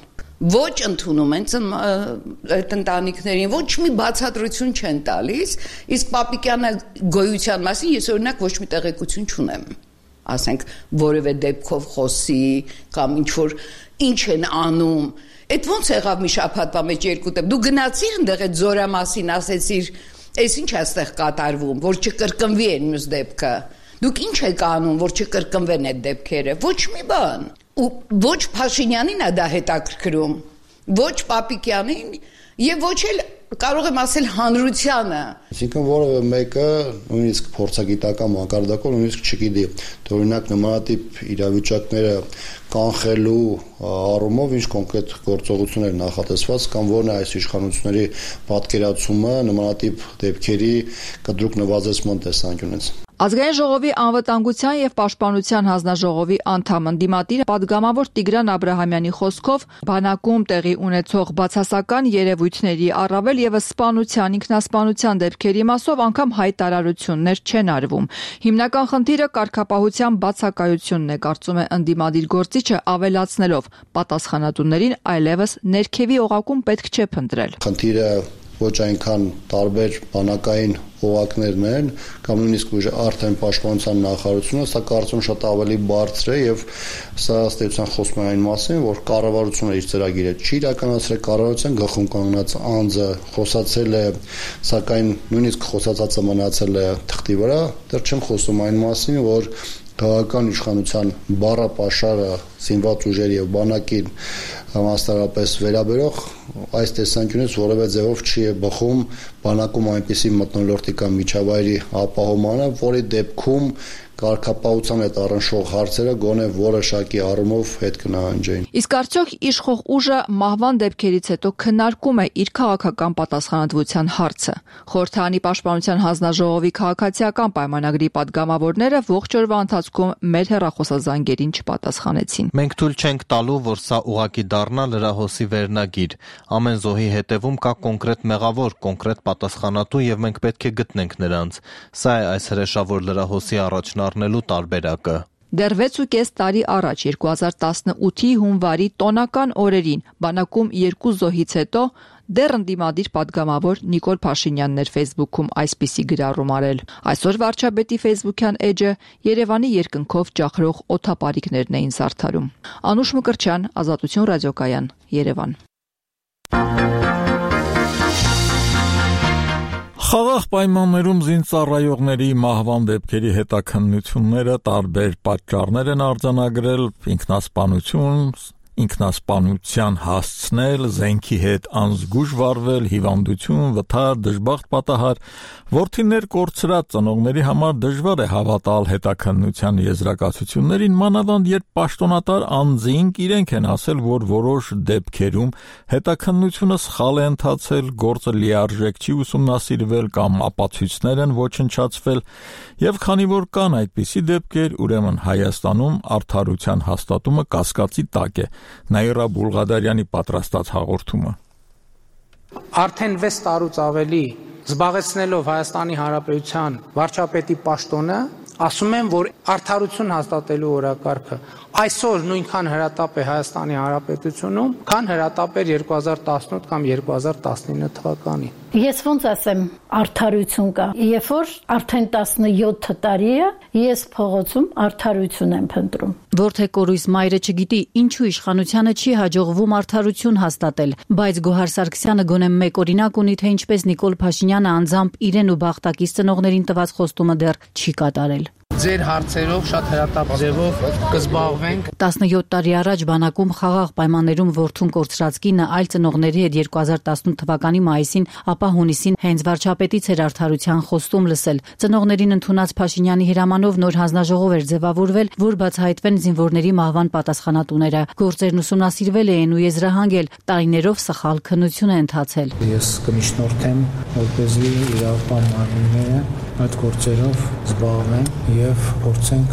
Ոչ ընդունում են այդ ընտանիքներին, ոչ մի բացատրություն չեն տալիս, իսկ Պապիկյանը գոյության մասին ես օրինակ ոչ մի տեղեկություն չունեմ։ Ասենք որևէ դեպքով խոսի կամ ինչ են անում։ Այդ ոնց եղավ մի շաբաթվա մեջ 2 դեպք։ Դու գնացիր այնտեղ այդ զորամասին, ասեցիր, «Էս ինչ է այստեղ կատարվում, որ չկրկնվի այն մյուս դեպքը»։ Դուք ինչ եք անում, որ չկրկնվեն այդ դեպքերը։ Ոչ մի բան։ Ու ոչ Փաշինյանին է դա հետաքրքրում։ ոչ Պապիկյանին եւ ոչ էլ կարող եմ ասել հանրությանը։ Այսինքն որևէ մեկը նույնիսկ փորձագիտական մակարդակով նույնիսկ չգիտի, թե օրինակ նմանատիպ իրավիճակները կանխելու առումով ինչ կոնկրետ գործողություններ նախատեսված կամ որն է այս իշխանությունների պատկերացումը նմանատիպ դեպքերի կտրուկ նվազեցման տեսանկյունից։ Ազգային ժողովի անվտանգության եւ պաշտպանության հանձնաժողովի անդամ ընդդիմադիր պատգամավոր Տիգրան Աբրահամյանի խոսքով բանակում տեղի ունեցող բացասական երևույթների առավել եւս սպանության, ինքնասպանության դեպքերի մասով անգամ հայտարարություններ չեն արվում։ Հիմնական խնդիրը կարգապահության բացակայությունն է, կարծում է ընդդիմադիր գործիչը, ավելացնելով պատասխանատուներին այլևս ներքևի օղակում պետք չէ փնտրել։ Խնդիրը ոչ այնքան տարբեր բանակային օղակներն են կամ նույնիսկ արդեն պաշտպանության նախարարությունը, սա կարծում շատ ավելի բարձր է եւ սա ստեցության խոսում է այն մասին, որ կառավարությունը իր ծրագիրը չի իրականացրել, կառավարության գլխում կանգնած անձը խոսացել է, սակայն նույնիսկ խոսածածը մնացել է թղթի վրա, դեռ չեմ խոսում այն մասին, որ քաղաքական իշխանության բառապաշարը զինված ուժերի եւ բանակին մասնարարպես վերաբերող այս տեսանկյունից որևէ ձևով չի բխում բանակում այնպիսի մթնոլորտի կամ միջավայրի ապահովմանը, որի դեպքում կարգապահության հետ առնչվող հարցերը գոնե որոշակի առումով հետ կնահանջեին։ Իսկ արդյոք իշխող ուժը մահվան դեպքերից հետո քննարկում է իր քաղաքական պատասխանատվության հարցը։ Խորհրդարանի պաշտպանության հանձնաժողովի քաղաքացիական պայմանագրի падգամավորները ողջ օրվա ընթացքում մեր հեռախոսազանգերին չպատասխանեցին։ Մենք թույլ չենք տալու, որ սա ուղղակի դառնա լրահոսի վերնագիր։ Ամեն զոհի հետևում կա կոնկրետ մեղավոր, կոնկրետ պատասխանատու եւ մենք պետք է գտնենք նրանց։ Սա է այս հրեշավոր լրահոսի առաջնառնելու տարբերակը։ Դեռ 6.5 տարի առաջ 2018-ի հունվարի տոնական օրերին բանակում 2 զոհից հետո դեռ ընդդիմադիր падգամավոր Նիկոլ Փաշինյանն էր Facebook-ում այսպիսի գրառում արել։ Այսօր վարչապետի Facebook-յան էջը Երևանի երկնքով ջախրող օդապարիկներն էին զարդարում։ Անուշ Մկրտչյան, Ազատություն ռադիոկայան, Երևան։ Խաղաղ պայմաններում զինծառայողների մահվան դեպքերի հետաքննությունները տարբեր պատճառներ են արձանագրել՝ ինքնասպանություն, ինքնասպանության հասցնել, զենքի հետ անզգույշ վարվել, հիվանդություն, վթար, դժբախտ պատահար, որդիներ կորցրած ծնողների համար դժվար է հավատալ հետաքննության եզրակացություններին, մանավանդ երբ պաշտոնատար անձինք իրենք են ասել, որ որոշ դեպքերում հետաքննությունը սխալ է ընթացել, գործը լիարժեք չի ուսումնասիրվել կամ ապացույցներ են ոչնչացվել, եւ քանի որ կան այդպիսի դեպքեր, ուրեմն Հայաստանում արդարության հաստատումը կասկածի տակ է։ Նաիրա Բուլղադարյանի պատրաստած հաղորդումը։ Արդեն 6 տարուց ավելի զբաղեցնելով Հայաստանի Հանրապետության վարչապետի պաշտոնը, ասում եմ, որ արդարություն հաստատելու օրակարգը այսօր նույնքան հրատապ է Հայաստանի Հանրապետությունում, քան հրատապ էր 2018 կամ 2019 թվականին։ Ես ոնց ասեմ, արդարություն կա։ Երբ որ արդեն 17 տարի է, ես փողոցում արդարություն եմ փնտրում։ Որթե կորույս մայրը չգիտի, ինչու իշխանությանը չի հաջողվում արդարություն հաստատել, բայց Գոհար Սարգսյանը գոնե մեկ օրինակ ունի, թե ինչպես Նիկոլ Փաշինյանը անձամբ իրեն ու բախտակից ծնողներին տված խոստումը դեռ չի կատարել։ Ձեր հարցերով շատ հրատապ ձևով կզբաղվենք։ 17 տարի առաջ բանակում խաղաղ պայմաններում որդուն կորցրած կինը այլ ծնողների հետ 2018 թվականի մայիսին, ապա հունիսին հենց վարչապետից էր արդարության խոստում լսել։ Ծնողներին ընդունած Փաշինյանի հրամանով նոր հանձնաժողով էր ձևավորվել, որ բացահայտվեն զինվորների մահվան պատասխանատուները։ Գործերն ուսումնասիրվել էին ու եզրահանգել, տարիներով սխալ քննություն է ընթացել։ Ես կմիշնորթեմ, որպեսզի իրավապահ մարմինները այդ գործերով զբաղվեն եւ փորձենք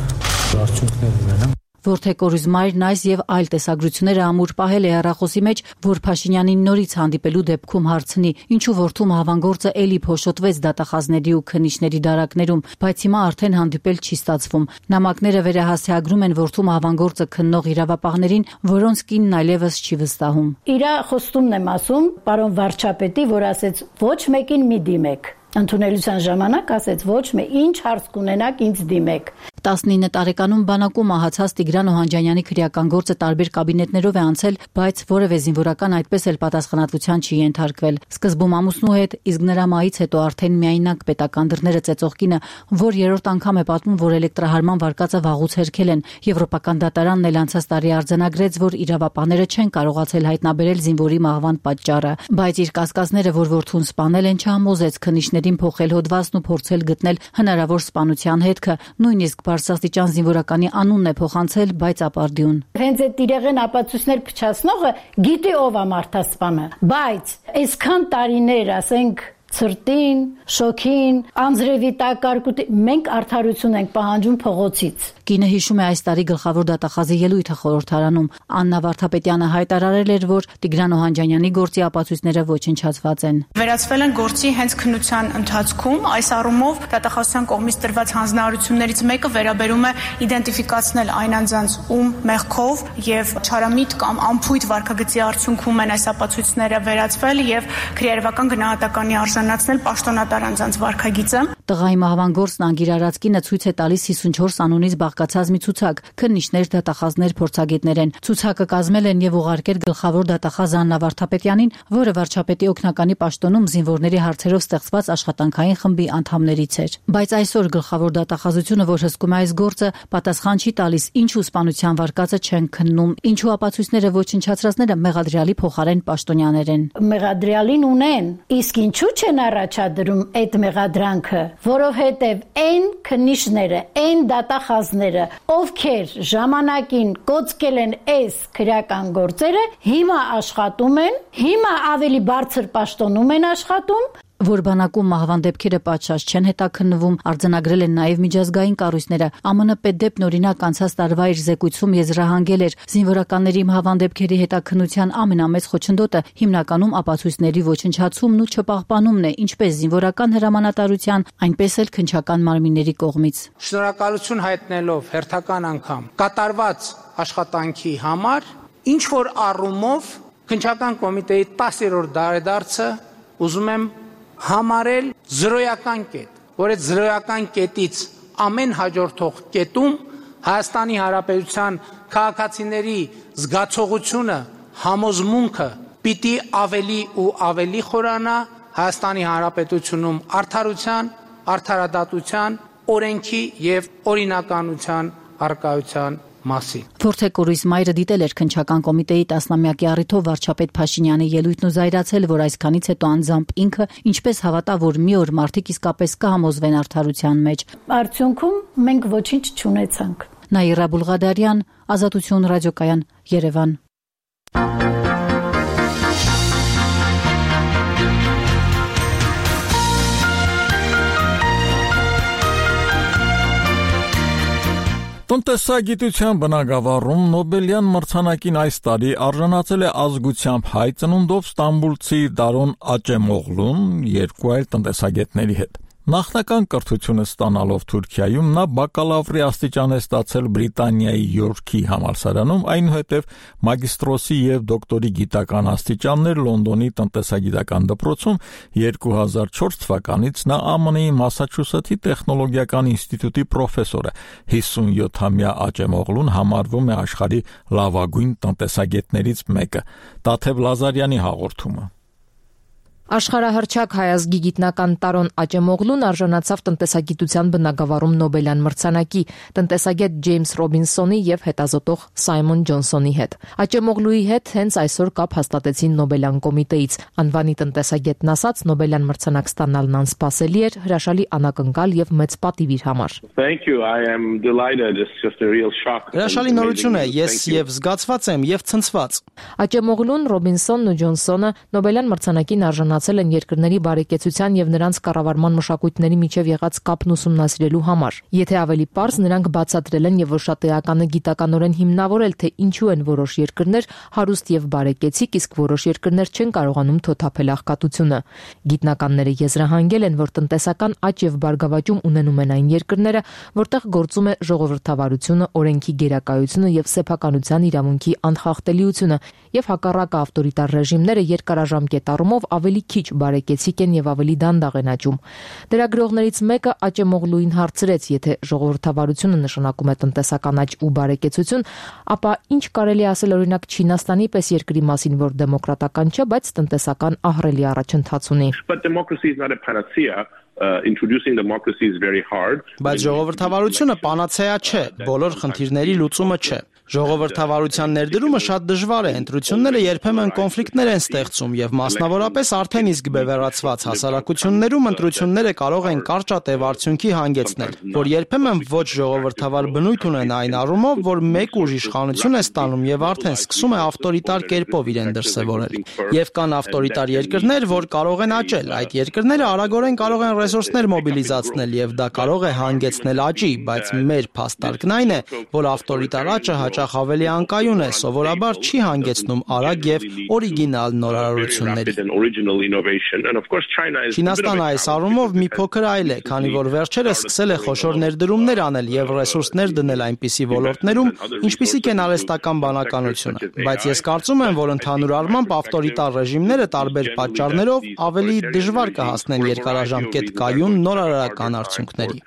արդյունքներ ունենալ։ Որթե կորուզմայրն այս եւ այլ տեսագրությունները ամուր պահել է հեռախոսի մեջ, որ Փաշինյանին նորից հանդիպելու դեպքում հարցնի, ինչու որդու մահվան գործը էլի փոշոտվեց դատախազների ու քննիչների դարակներում, բայց հիմա արդեն հանդիպել չի ստացվում։ Նամակները վերահասցեագրում են որդու մահվան գործը քննող իրավապահներին, որոնց կինն այլևս չի վստահում։ Իրա խոստումն եմ ասում, պարոն վարչապետի, որ ասեց ոչ մեկին մի դիմեք։ Ընդունելության ժամանակ ասեց ոչ մի ինչ հարց կունենաք ինձ դիմեք։ 19 տարեկանում բանակում մահացած Տիգրան Օհանջանյանի քրեական գործը տարբեր կաբինետներով է անցել, բայց որևէ զինվորական այդպես էլ պատասխանատվության չի ենթարկվել։ Սկզբում ամուսնու հետ, իսկ նրա մահից հետո արդեն միայնակ պետական դռները ծեծող կինը, որ երրորդ անգամ է պատմում, որ էլեկտրահարման վարկածը վաղուց հերքել են։ Եվրոպական դատարանն էլ անցած տարի արձանագրեց, որ իրավապահները չեն կարողացել հայտնաբերել զինվորի մահվան պատճառը, բայց իր կասկածները, որ որդուն սպանել են, չհամոզեց քննիչներին փոխել հոդվածն ու փորձել գտնել հնարավոր սպանության հետքը, նույնիսկ բարձրաստիճան զինվորականի անունն է փոխանցել, բայց ապարդյուն։ Հենց այդ իրեղեն ապացույցներ փչացնողը գիտի ով է մարդասպանը, բայց այսքան տարիներ, ասենք ցրտին, շոքին, անձրևի տակարկուտի մենք արդարություն ենք պահանջում փողոցից։ Կինը հիշում է այս տարի գլխավոր դատախազի ելույթը խորհրդարանում։ Աննա Վարդապետյանը հայտարարել էր, որ Տիգրան Օհանջանյանի գործի ապացույցները ոչնչացված են։ Վերացվել են գործի հենց քննության ընթացքում, այս առումով դատախազության կողմից տրված հանձնարարություններից մեկը վերաբերում է իդենտիֆիկացնել այն անձանց, ում մեղքով եւ չարամիտ կամ անփույթ վարքագծի արդյունքում են այս ապացույցները վերացվել եւ քրեարվական գնահատականի արժանացնել պաշտոնատար անձանց վարքագիծը։ Տղայի մահվան գործն անգիրարած կինը ցույց է տալիս 54 անունից բաղկացած մի ցուցակ, քննիչներ, դատախազներ, փորձագետներ են։ Ցուցակը կազմել են եւ ուղարկել գլխավոր դատախազ Աննա Վարդապետյանին, որը վարչապետի օգնականի պաշտոնում զինվորների հարցերով ստեղծված աշխատանքային խմբի անդամներից էր։ Բայց այսօր գլխավոր դատախազությունը, որ հսկում է այս գործը, պատասխան չի տալիս, ինչու սպանության վարկածը չեն քննում, ինչու ապացույցները ոչնչացրածները մեղադրյալի փոխարեն պաշտոնյաներ են։ Մեղադրյալին ունեն, իսկ ինչու չեն առաջադրում այդ մեղադրանքը, որովհետև այն քննիչները, այն դատախազները, ովքեր ժամանակին կոծկել են այս քրեական գործերը, հիմա աշխատում են, հիմա ավելի բարձր պաշտոնում են աշխատում, որ բանակում մահվան դեպքերը պատշաճ չեն հետաքննվում, արձանագրել են նաև միջազգային կառույցները։ ԱՄՆ պետդեպն օրինակ անցած տարվա իր զեկույցում եզրահանգել էր զինվորականների մահվան դեպքերի հետաքննության ամենամեծ խոչընդոտը հիմնականում ապացույցների ոչնչացումն ու չպահպանումն է, ինչպես զինվորական հրամանատարության, այնպես էլ քննչական մարմինների կողմից։ Շնորհակալություն հայտնելով հերթական անգամ կատարված աշխատանքի համար, ինչ որ առումով քննչական կոմիտեի 10-րդ դարեդարձը ուզում եմ համարել զրոյական կետ, որ այդ զրոյական կետից ամեն հաջորդող կետում Հայաստանի Հանրապետության քաղաքացիների զգացողությունը, համոզմունքը պիտի ավելի ու ավելի խորանա Հայաստանի Հանրապետությունում արդարության, արդարադատության, օրենքի եւ օրինականության առկայության մասին։ Փորձեկորույս մայրը դիտել էր քննչական կոմիտեի 10-ամյակի առիթով վարչապետ Փաշինյանի ելույթն ու զայրացել, որ այսքանից հետո անձամբ ինքը ինչպես հավատա, որ մի օր մարդիկ իսկապես կհամոզվեն արդարության մեջ։ Արդյունքում մենք ոչինչ չունեցանք։ Նաիրա Բուլղադարյան, Ազատություն ռադիոկայան, Երևան։ Տնտեսագիտության բնագավառում Նոբելյան մրցանակին այս տարի արժանացել է ազգությամբ հայ ծնունդով ստամբուլցի Դարոն Աճեմօղլուն երկու այլ տնտեսագետների հետ։ Նախնական կրթությունը ստանալով Թուրքիայում նա բակալավրի աստիճան է ստացել Բրիտանիայի Յորքի համալսարանում, այնուհետև մագիստրոսի եւ դոկտորի գիտական աստիճաններ Լոնդոնի տնտեսագիտական դպրոցում 2004 թվականից նա ԱՄՆ-ի Մասաչուսեթի տեխնոլոգիական ինստիտուտի պրոֆեսոր է։ 57-ամյա Աճեմօղլուն համարվում է աշխարհի լավագույն տնտեսագետներից մեկը։ Տաթև Լազարյանի հաղորդումը։ Աշխարհահռչակ հայազգի գիտնական Տարոն Աճեմօղլուն արժանացավ տնտեսագիտության բնագավառում Նոբելյան մրցանակի տնտեսագետ Ջեյմս Ռոբինսոնի եւ հետազոտող Սայմոն Ջոնսոնի հետ։ Աճեմօղլուի հետ հենց այսօր կապ հաստատեցին Նոբելյան կոմիտեից։ Անվանի տնտեսագետն ասաց, Նոբելյան մրցանակ ստանալն անսպասելի էր, հրաշալի անակնկալ եւ մեծ պատիվ իր համար։ Հրաշալի նորություն է, ես եւ զգացված եմ եւ ցնցված։ Աճեմօղլուն, Ռոբինսոնն ու Ջոնսոնը Նոբելյան մրցանակին արժանացել են երկրների բարեկեցության եւ նրանց կառավարման մշակույթների միջև եղած կապն ուսումնասիրելու համար։ Եթե ավելի պարզ, նրանք բացատրել են եւ ոչ շատ էականը գիտականորեն հիմնավորել, թե ինչու են որոշ երկրներ հարուստ եւ բարեկեցիկ, իսկ որոշ երկրներ չեն կարողանում թոթափել աղքատությունը։ Գիտնականները եզրահանգել են, որ տնտեսական աճ եւ բարգավաճում ունենում են այն երկրները, որտեղ գործում է ժողովրդավարությունը, օրենքի գերակայությունը եւ սեփականության իրավունքի անխախտելիությունը, եւ հակառակը ավտորիտար ռեժիմները երկարաժամկետ առումով ավելի քիչ բարեկեցիկ են եւ ավելի դանդաղ են աճում։ Լրագրողներից մեկը Աճեմօղլուին հարցրեց, եթե ժողովրդավարությունը նշանակում է տնտեսական աճ ու բարեկեցություն, ապա ինչ կարելի ասել օրինակ Չինաստանի պես երկրի մասին, որ դեմոկրատական չէ, բայց տնտեսական ահռելի առաջընթաց ունի։ Introducing democracy is very hard. Բայց ժողովրդավարությունը պանացեա չէ, բոլոր խնդիրների լուծումը չէ։ Ժողովրդավարության ներդրումը շատ դժվար է, ընտրությունները երբեմն կոնֆլիկտներ են ստեղծում եւ մասնավորապես արդեն իսկ բևեռացված հասարակություններում ընտրությունները կարող են կարճատև արդյունքի հանգեցնել, որ երբեմն ոչ ժողովրդավար բնույթ ունեն այն առումով, որ մեկ ուժ իշխանություն է ստանում եւ արդեն սկսում է ավտորիտար կերպով իրեն դրսեւորել։ Եվ կան ավտորիտար երկրներ, որ կարող են աճել, այդ երկրները արագորեն կարող են ռեսուրսներ մոբիլիզացնել եւ դա կարող է հանգեցնել աճի, բայց մեր փաստարկն այն է, որ ավտորիտար աճը հաճախ ավելի անկայուն է, սովորաբար չի հանգեցնում արագ եւ օրիգինալ նորարարությունների։ Չինաստանը այս առումով մի փոքր այլ է, քանի որ վերջերս սկսել է խոշոր ներդրումներ անել եւ ռեսուրսներ դնել այնպիսի ոլորտներում, ինչպիսիք են արհեստական բանականությունը, բայց ես կարծում եմ, որ ընդհանուր առմամբ ավտորիտար ռեժիմները տարբեր պատճառներով ավելի դժվար կհասնեն երկարաժամկետ կայուն նորարարական արդյունքների։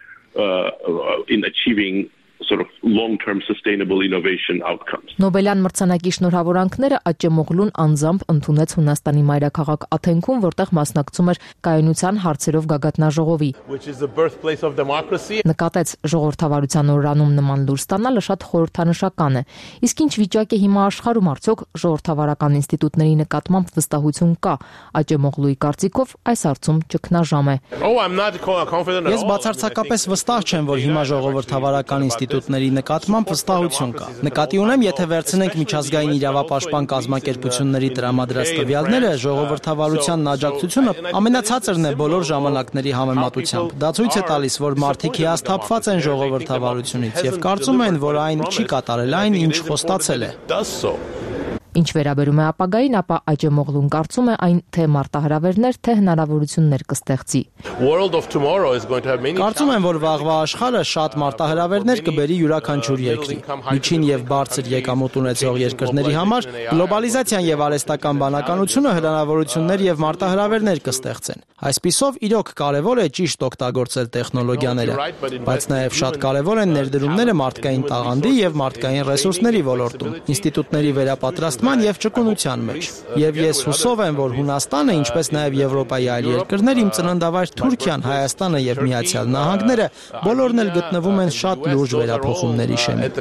In achieving sort of long-term sustainable innovation outcomes. Նոբելյան մրցանակի շնորհավորանքները Աճեմօղլուն անձամբ ընդունեց Հունաստանի մայրաքաղաք Աթենքում, որտեղ մասնակցում էր կայունության հարցերով գագաթնաժողովի։ Նկատեց ժողովրդավարության օրրանում նման լուր ստանալը շատ խորհրդանշական է։ Իսկ ինչ վիճակ է հիմա աշխարհում, արդյոք ժողովրդավարական ինստիտուտների նկատմամբ վստահություն կա։ Աճեմօղլուի կարծիքով այս հարցում ճգնաժամ է։ Ես բացարձակապես վստահ չեմ, որ հիմա ժողովրդավարական ինստիտուտների նկատմամբ վստահություն կա։ Նկատի ունեմ, եթե վերցնենք միջազգային իրավապաշտպան կազմակերպությունների տրամադրած տվյալները, ժողովրդավարության աջակցությունը ամենացածրն է բոլոր ժամանակների համեմատությամբ։ Դա ցույց է տալիս, որ մարդիկ հիասթափված են ժողովրդավարությունից եւ կարծում են, որ այն չի կատարել այն, ինչ խոստացել է։ Ինչ վերաբերում է ապագային, ապա Աճեմօղլուն կարծում է այն թե մարտահրավերներ, թե հնարավորություններ կստեղծի։ Կարծում եմ, որ վաղվա աշխարհը շատ մարտահրավերներ կբերի յուրաքանչյուր երկրի։ Միջին եւ բարձր եկամուտ ունեցող երկրների համար գլոբալիզացիան եւ արհեստական բանականությունը հնարավորություններ եւ մարտահրավերներ կստեղծեն։ Այսպիսով իրոք կարևոր է ճիշտ օգտագործել տեխնոլոգիաները, բայց նաեւ շատ կարևոր են ներդրումները մարդկային տաղանդի եւ մարդկային ռեսուրսների ոլորտում, ինստիտուտների վերապատրաստման եւ ճկունության մեջ։ Եվ ես հուսով եմ, որ Հունաստանը, ինչպես նաեւ Եվրոպայի այլ երկրներ, իմ ծննդավայր Թուրքիան, Հայաստանը եւ Միացյալ Նահանգները բոլորն էլ գտնվում են շատ լուրջ վերափոխումների շեմին։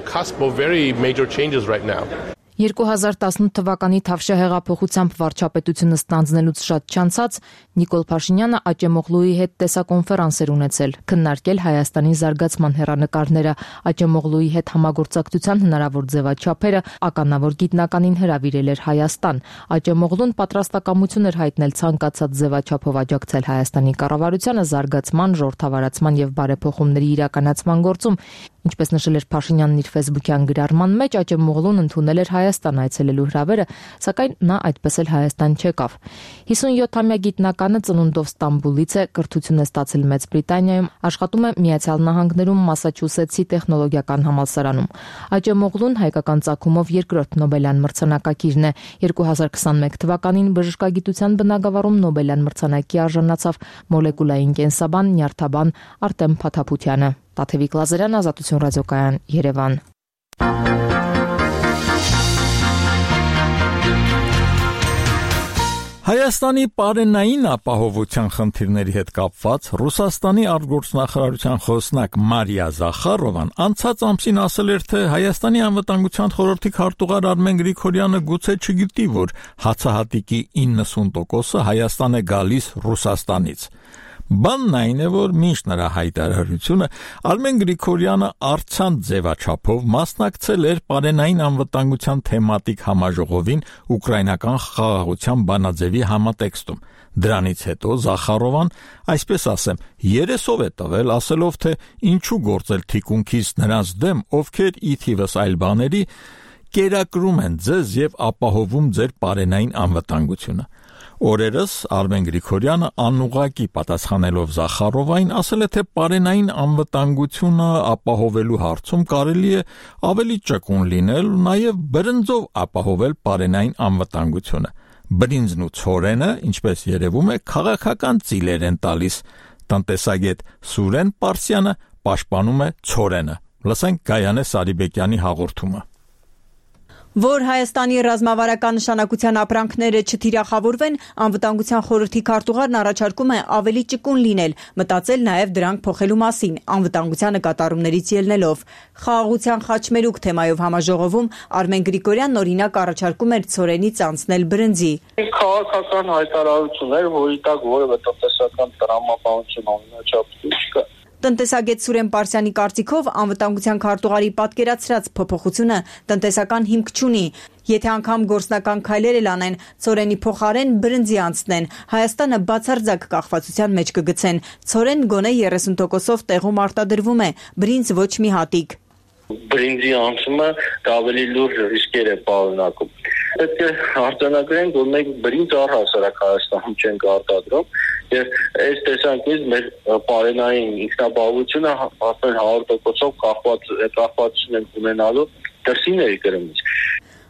2018 թվականի Թավշյա հեղափոխությամբ վարչապետությունը ստանձնելուց շատ չանցած Նիկոլ Փաշինյանը Աճեմօղլուի հետ տեսակոնֆերանս էր ունեցել, քննարկել Հայաստանի զարգացման հեռանկարները, Աճեմօղլուի հետ համագործակցության հնարավոր ձևաչափերը, ականավոր գիտնականին հրավիրել էր Հայաստան։ Աճեմօղլուն պատրաստակամություն էր հայտնել ցանկացած ձևաչափով աջակցել Հայաստանի կառավարությանը զարգացման, ժողովրդավարացման եւ բարեփոխումների իրականացման գործում։ Ինչպես նշել էր Փաշինյանն իր Facebook-յան գրառման մեջ, Աճեմօղլուն ընդունել էր Հայաստան այցելելու հրավերը, սակայն նա այդպես էլ Հայաստան չեկավ։ 57-ամյա գիտնականը ծնունդով Ստամբուլից է, կրթություն է ստացել Մեծ Բրիտանիայում, աշխատում է Միացյալ Նահանգներում Մասաչուսեթսի տեխնոլոգիական համալսարանում։ Աճեմօղլուն հայկական ծագումով երկրորդ Նոբելյան մրցանակակիրն է։ 2021 թվականին բժշկագիտության բնագավառում Նոբելյան մրցանակի արժանացավ մոլեկուլային կենսաբան, նյարդաբան Արտեմ Փաթափությանը։ Տաթևիկ Լազարյան, Ազատություն ռադիոկայան, Երևան։ Հայաստանի պարենային ապահովության խնդիրների հետ կապված Ռուսաստանի արտգործնախարարության խոսնակ Մարիա Զախարովան անցած ամսին ասել էր, թե Հայաստանի անվտանգության խորհրդի քարտուղար Արմեն Գրիգորյանը գուցե չգիտի, որ հացահատիկի 90%-ը Հայաստան է գալիս Ռուսաստանից։ Բանն այն է, որ մինչ նրա հայտարարությունը Արմեն Գրիգորյանը առցանց ձևաչափով մասնակցել էր պարենային անվտանգության թեմատիկ համաժողովին ուկրաինական խաղաղության բանաձևի համատեքստում։ Դրանից հետո Զախարովան, այսպես ասեմ, երեսով է տվել, ասելով, թե ինչու գործել թիկունքից նրանց դեմ, ովքեր ի թիվս այլ բաների կերակրում են ձեզ եւ ապահովում ձեր պարենային անվտանգությունը։ Օրերս Արմեն Գրիգորյանը անուղղակի պատասխանելով Զախարովային ասել է, թե պարենային անվտանգությունը ապահովելու հարցում կարելի է ավելի ճկուն լինել, նաև բրնձով ապահովել պարենային անվտանգությունը։ Բրինձն ու ցորենը, ինչպես երևում է, քաղաքական ծիլեր են տալիս։ Տնտեսագետ Սուրեն Պարսյանը պաշտպանում է ցորենը։ Լսենք Գայանե Սարիբեկյանի հաղորդումը։ Որ Հայաստանի ռազմավարական նշանակության ապրանքները չթիրախավորվեն, անվտանգության խորհրդի քարտուղարն առաջարկում է ավելի ճկուն լինել, մտածել նաև դրանք փոխելու մասին, անվտանգության նկատառումներից ելնելով։ Խաղաղության խաչմերուկ թեմայով համաժողովում Արմեն Գրիգորյանն օրինակ առաջարկում էր ցորենից անցնել բրնձի։ Քաղաքական հայտարարություն էր, որի տակ որևէ տնտեսական տրամաբանություն անմիջապես չկա։ Տնտեսագետ Սուրեն Պարսյանի կարծիքով անվտանգության քարտուղարի պատկերացրած փոփոխությունը տնտեսական հիմք չունի։ Եթե անգամ գործնական քայլեր էլ անեն, ցորենի փոխարեն բրնձի անցնեն, Հայաստանը բացարձակ կախվածության մեջ կգցեն։ Ցորեն գոնե 30%-ով տեղում արտադրվում է, բրինձ ոչ մի հատիկ։ Բրինձի անցումը դա ավելի լուրջ ռիսկեր է պարունակում։ Պետք է արձանագրենք, որ մենք բրինձ առհասարակ Հայաստանում չենք արտադրում, եւ այս տեսանկյունից մեր պարենային ինքնաբավությունը արդեն 100%-ով կախվածություն են ունենալու դրսի ներկրումից։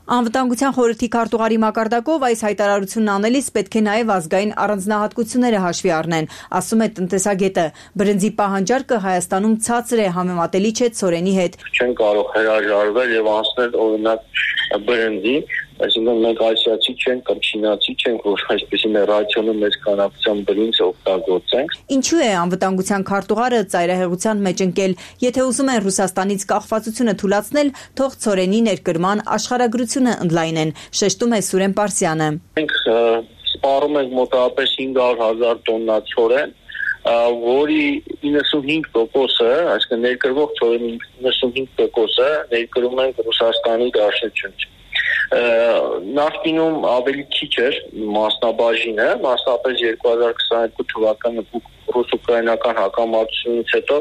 Անվտանգության խորհրդի քարտուղարի մակարդակով այս հայտարարությունն անելիս պետք է նաև ազգային առանձնահատկությունները հաշվի առնեն, ասում է տնտեսագետը։ Բրնձի պահանջարկը Հայաստանում ցածր է, համեմատելի չէ ցորենի հետ։ Չեն կարող հրաժարվել եւ անցնել օրինակ բրնձի, այսինքն մենք ասիացի չենք կամ չինացի չենք, որ այսպեսի ռացիոնում մեծ քանակությամբ բրինձ օգտագործենք։ Ինչու է անվտանգության քարտուղարը ծայրահեղության մեջ ընկել, եթե ուզում են Ռուսաստանից կախվածությունը թուլացնել, թող ցորենի ներկրման աշխարհագրությունը ընդլայնեն, շեշտում է Սուրեն Պարսյանը։ Մենք սպառում ենք մոտավորապես 500,000 տոննա ցորեն, որի 95%-ը, այսինքն ներկրվող ցորենի 95%-ը ներկրում ենք Ռուսաստանի Դաշնությունից։ Նախկինում ավելի քիչ էր մասնաբաժինը, մասնապես 2022 թվականի ռուս-ուկրաինական հակամարտությունից հետո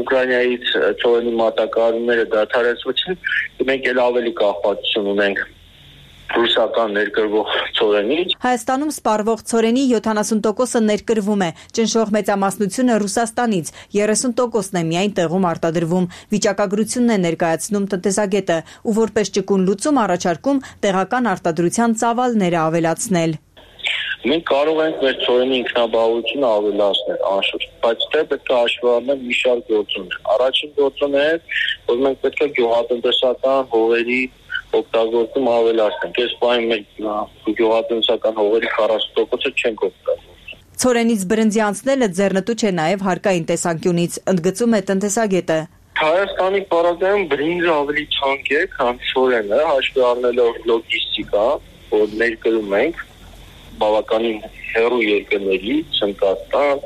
Ուկրաինայից ցորենի մատակարարումները դադարեցվեցին, մենք էլ ավելի կախվածություն ունենք ռուսական ներկրվող ցորենից։ Հայաստանում սպառվող ցորենի 70%-ը ներկրվում է, ճնշող մեծամասնությունը Ռուսաստանից, 30%-ն է միայն տեղում արտադրվում։ Վիճակագրությունն է ներկայացնում տնտեսագետը, ու որպես ճկուն լուծում առաջարկում տեղական արտադրության ծավալները ավելացնել։ Մենք կարող ենք մեր ցորենի ինքնաբավությունը ավելացնել, անշուշտ, բայց դե պետք է հաշվի առնել մի շարք գործոններ։ Առաջին գործոնը է, որ մենք պետք է գյուղատնտեսական հողերի օգտագործում ավելացնենք։ Այս բանը մենք գյուղատնտեսական հողերի 40%-ը չենք օգտագործում։ Ցորենից բրնձի անցնելը ձեռնտու չէ նաև հարկային տեսանկյունից, ընդգծում է տնտեսագետը։ Հայաստանի պարագայում բրինձը ավելի ցանկ է, քան ցորենը, հաշվի առնելով լոգիստիկա, որ ներկրում ենք բավականին հեռու երկրներից, Հնդկաստան,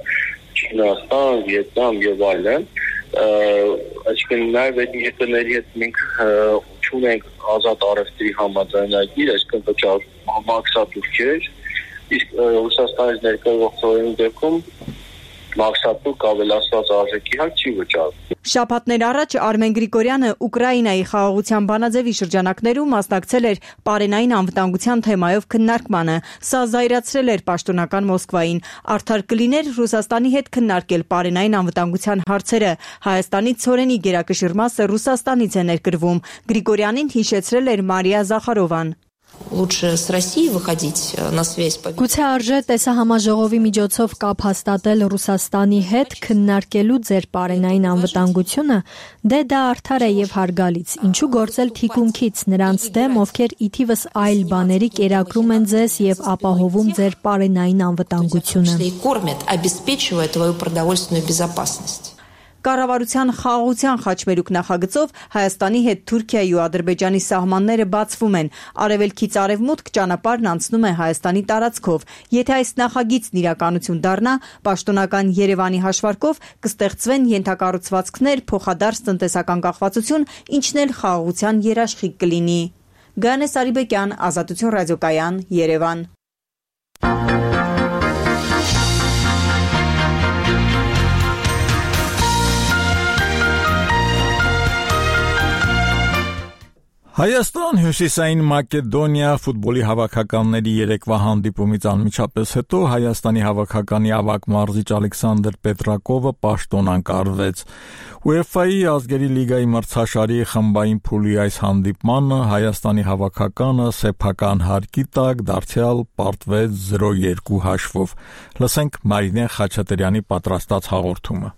Չինաստան, Վիետնամ եւ այլն, այսինքն նաև այդ երկրների հետ մենք ունենք ազատ առևտրի համաձայնագիր, այսինքն վճար մաքսատուրքեր, իսկ Ռուսաստանից ներկրվող ցորենի դեպքում մաքսատուրք ավելացված արժեքի հաշ չի վճարվում։ Շաբաթներ առաջ Արմեն Գրիգորյանը Ուկրաինայի խաղաղության բանաձևի շրջանակներում մասնակցել էր պարենային անվտանգության թեմայով քննարկմանը։ Սա զայրացրել էր պաշտոնական Մոսկվային։ Արդար կլիներ Ռուսաստանի հետ քննարկել պարենային անվտանգության հարցերը։ Հայաստանի ցորենի գերակշիռ մասը Ռուսաստանից է ներկրվում։ Գրիգորյանին հիշեցրել էր Մարիա Զախարովան։ Лучше с Россией выходить на связь. Գուցե արժե տեսահամաժողովի միջոցով կապ հաստատել Ռուսաստանի հետ քննարկելու ձեր պարենային անվտանգությունը, դե դա արդար է եւ հարգալից։ Ինչու գործել թիկունքից նրանց դեմ, ովքեր ի թիվս այլ բաների կերակրում են ձեզ եւ ապահովում ձեր պարենային անվտանգությունը։ Кормят, обеспечивая твою продовольственную безопасность. Կառավարության խաղաղության խաչմերուկ նախագծով Հայաստանի հետ Թուրքիայի ու Ադրբեջանի սահմանները բացվում են։ Արևելքից արևմուտք ճանապարհն անցնում է Հայաստանի տարածքով։ Եթե այս նախագիծն իրականություն դառնա, պաշտոնական Երևանի հաշվարկով կստեղծվեն ենթակառուցվածքներ, փոխադարձ տնտեսական կախվածություն, ինչն էլ խաղաղության երաշխիք կլինի։ Գայանե Սարիբեկյան, Ազատություն ռադիոկայան, Երևան։ Հայաստան Հյուսիսային Մակեդոնիա ֆուտբոլի հավաքականների երեկվա հանդիպումից անմիջապես հետո Հայաստանի հավաքականի ավագ մարզիչ Ալեքսանդր Պետրակովը պաշտոնանկարվեց։ UEFA-ի ազգերի լիգայի մրցաշարի խմբային փուլի այս հանդիպմանը Հայաստանի հավաքականը սեփական հարկի տակ դարձյալ պարտվեց 0-2 հաշվով։ Լսենք Մարինե Խաչատրյանի պատրաստած հաղորդումը։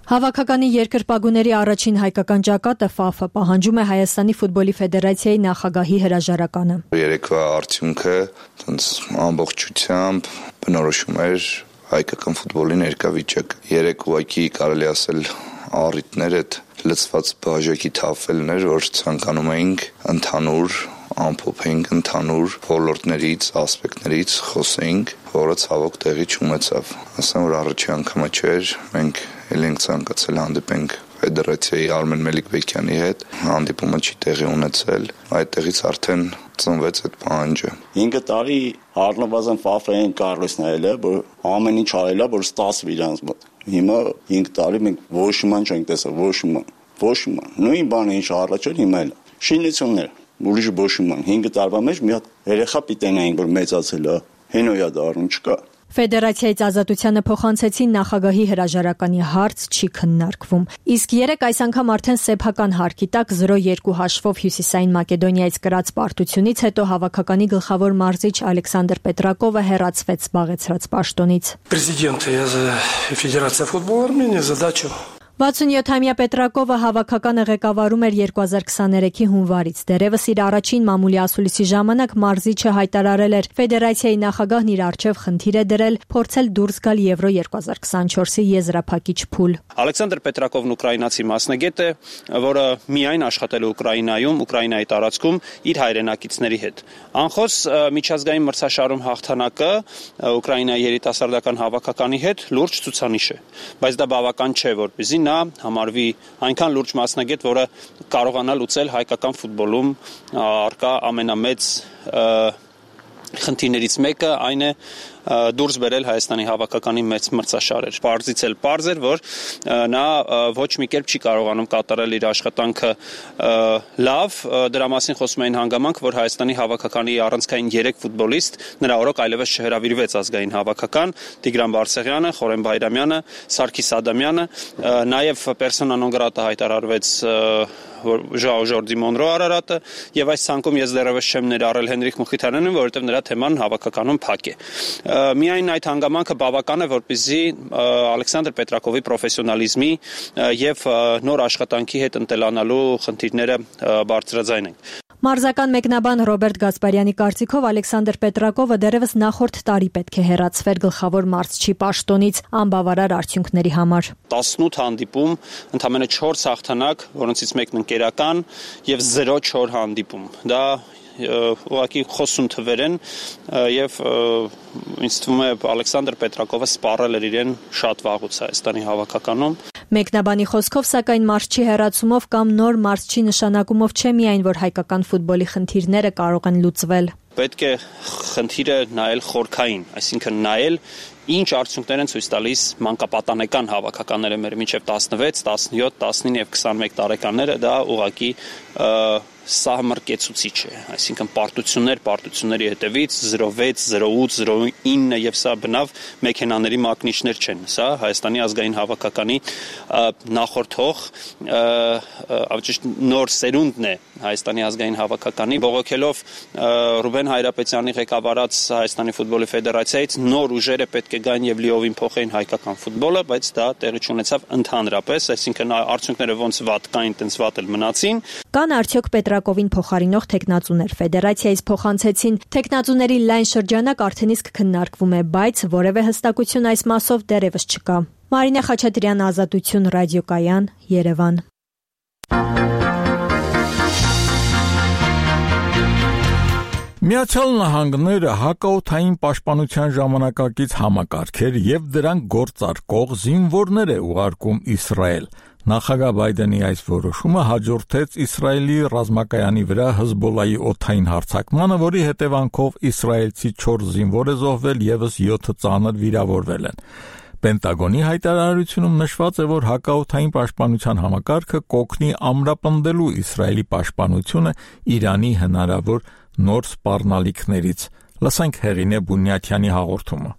Հավաքականի երկրպագուների առաջին հայկական ճակատը ՖԱՖ-ը պահանջում է Հայաստանի ֆուտբոլի ֆեդերացիայի նախագահի հրաժարականը։ Երեկվա արդյունքը ամբողջությամբ բնորոշում էր հայկական ֆուտբոլի ներկա վիճակը։ Երեք ուղղակի կարելի ասել առիթներ այդ լծված բաժակի թափվելներ, որ ցանկանում էինք ընդհանուր ամփոփենք ընդհանուր ոլորտներից, ասպեկտներից խոսենք, որը ցավոք տեղի չունեցավ։ Ասեմ, որ առաջի անգամը չէր, մենք ել ենք ցանկացել հանդիպենք ֆեդերացիայի Արմեն Մելիքբեկյանի հետ, հանդիպումը չի տեղի ունեցել, այդտեղից արդեն ծնվեց այդ պահանջը։ 5 տարի առնվազն ՖԱՖ-ին կարողս նայել է, որ ամեն ինչ արել է, որ ստացվի իրանց մոտ։ Հիմա 5 տարի մենք ոչ ման չենք տեսել, ոչ ման։ Նույն բանը ինչ առաջ էր հիմա էլ։ Շինություններ ուրիշ բոշման 5 տարվա մեջ մի հատ երեխա պիտենային, որ մեծացել է, հենոյա դառնում չկա։ Ֆեդերացիայից ազատությանը փոխանցեցին նախագահի հրաժարականի հարց չի քննարկվում։ Իսկ երեք այս անգամ արդեն սեփական հարկի տակ 0-2 հաշվով Հյուսիսային Մակեդոնիայից կրած պարտությունից հետո հավաքականի գլխավոր մարզիչ Ալեքսանդր Պետրակովը հեռացվեց զբաղեցրած պաշտոնից։ Президент Федерации футбола Армении задачу 67-ամյա Պետրակովը հավաքականը ղեկավարում էր 2023-ի հունվարից։ Դերևս իր առաջին մամուլի ասուլիսի ժամանակ մարզիչը հայտարարել էր ֆեդերացիայի նախագահն իր առջև խնդիր է դրել փորձել դուրս գալ Եվրո 2024-ի եզրափակիչ փուլ։ Ալեքսանդր Պետրակովն ուկրաինացի մասնագետ է, որը միայն աշխատել է Ուկրաինայում, Ուկրաինայի տարածքում իր հայրենակիցների հետ։ Անխոս միջազգային մրցաշարում հաղթանակը Ուկրաինայի երիտասարդական հավաքականի հետ լուրջ ցուցանիշ է, բայց դա բավական չէ, որպեսզի նա համարվի այնքան լուրջ մասնագետ, որը կարողանա լուծել հայկական ֆուտբոլում առկա ամենամեծ խնդիրներից մեկը այն է դուրս բերել Հայաստանի հավաքականի մեծ մրցաշարեր։ Պարզից էլ պարզ էր, որ նա ոչ մի կերպ չի կարողանում կատարել իր աշխատանքը լավ, դրա մասին խոսում էին հանգամանք, որ Հայաստանի հավաքականի առանցքային 3 ֆուտբոլիստ նրա օրոք այլևս չհրավիրվեց ազգային հավաքական, Տիգրան Բարսեղյանը, Խորեն Բայրամյանը, Սարգիս Ադամյանը, նաև պերսոնա նոն գրատա հայտարարվեց Ժաո Ժորդի Մոնրո Արարատը, եւ այս ցանկում ես դեռևս չեմ ներառել Հենրիխ Մխիթարյանին, որովհետեւ նրա թեման հավաքականում փակ է։ Միայն այդ հանգամանքը բավական է, որպեսզի Ալեքսանդր Պետրակովի պրոֆեսիոնալիզմի եւ նոր աշխատանքի հետ ընտելանալու խնդիրները բարձրաձայնենք։ Մարզական մեկնաբան Ռոբերտ Գասպարյանի կարծիքով Ալեքսանդր Պետրակովը դեռևս նախորդ տարի պետք է հեռացվեր գլխավոր մարզչի պաշտոնից անբավարար արդյունքների համար։ 18 հանդիպում, ընդամենը 4 հաղթանակ, որոնցից մեկն ընկերական եւ 0-4 հանդիպում։ Դա ուղղակի խոսուն թվեր են եւ ինձ թվում է Ալեքսանդր Պետրակովը սպառել էր իրեն շատ վաղուց Հայաստանի հավաքականում։ Մեկնաբանի խոսքով, սակայն մարզչի հեռացումով կամ նոր մարզչի նշանակումով չէ միայն, որ հայկական ֆուտբոլի խնդիրները կարող են լուծվել։ Պետք է խնդիրը նայել խորքային, այսինքն նայել ինչ արդյունքներ են ցույց տալիս մանկապատանեկան հավաքականները մեր մինչև 16, 17, 19 եւ 21 տարեկանները, դա ուղղակի սահմռկեցուցիչ է, այսինքն պարտությունների հետևից 06, 08, 09 եւ սա բնավ մեքենաների մակնիչներ չեն, սա Հայաստանի ազգային հավաքականի նախորդող ավճիշտ նոր սերունդն է Հայաստանի ազգային հավաքականի, բողոքելով Ռուբեն Հայրապետյանի ղեկավարած Հայաստանի ֆուտբոլի ֆեդերացիայից նոր ուժերը պետք է գան եւ լիովին փոխեին հայկական ֆուտբոլը, բայց դա տեղի չունեցավ ընդհանրապես, այսինքն արդյունքները ոնց վատ կային, տենց վատ էլ մնացին։ Կան արդյոք Պետրակովին փոխարինող տեխնացուներ ֆեդերացիայից փոխանցեցին։ Տեխնացուների լայն շրջանակ արդեն իսկ քննարկվում է, բայց որևէ հստակություն այս մասով դեռևս չկա։ Մարինե Խաչատրյան, Ազատություն, ռադիոկայան, Երևան։ Միացյալ Նահանգները հակաօդային պաշտպանության ժամանակակից համակարգեր եւ դրանք գործարկող զինվորներ է ուղարկում Իսրայել։ Նախագահ Բայդենի այս որոշումը հաջորդեց Իսրայելի ռազմակայանի վրա Հեզբոլայի օդային հարձակմանը, որի հետևանքով իսրայելցի 4 զինվոր է զոհվել, եւս 7 ծանր վիրավորվել են։ Պենտագոնի հայտարարությունում նշված է, որ հակաօդային պաշտպանության համակարգը կօգնի ամրապնդելու Իսրայելի պաշտպանությունը Իրանի հնարավոր նոր սպառնալիքներից։ Լսենք Հեղինե Բունյաթյանի հաղորդումը։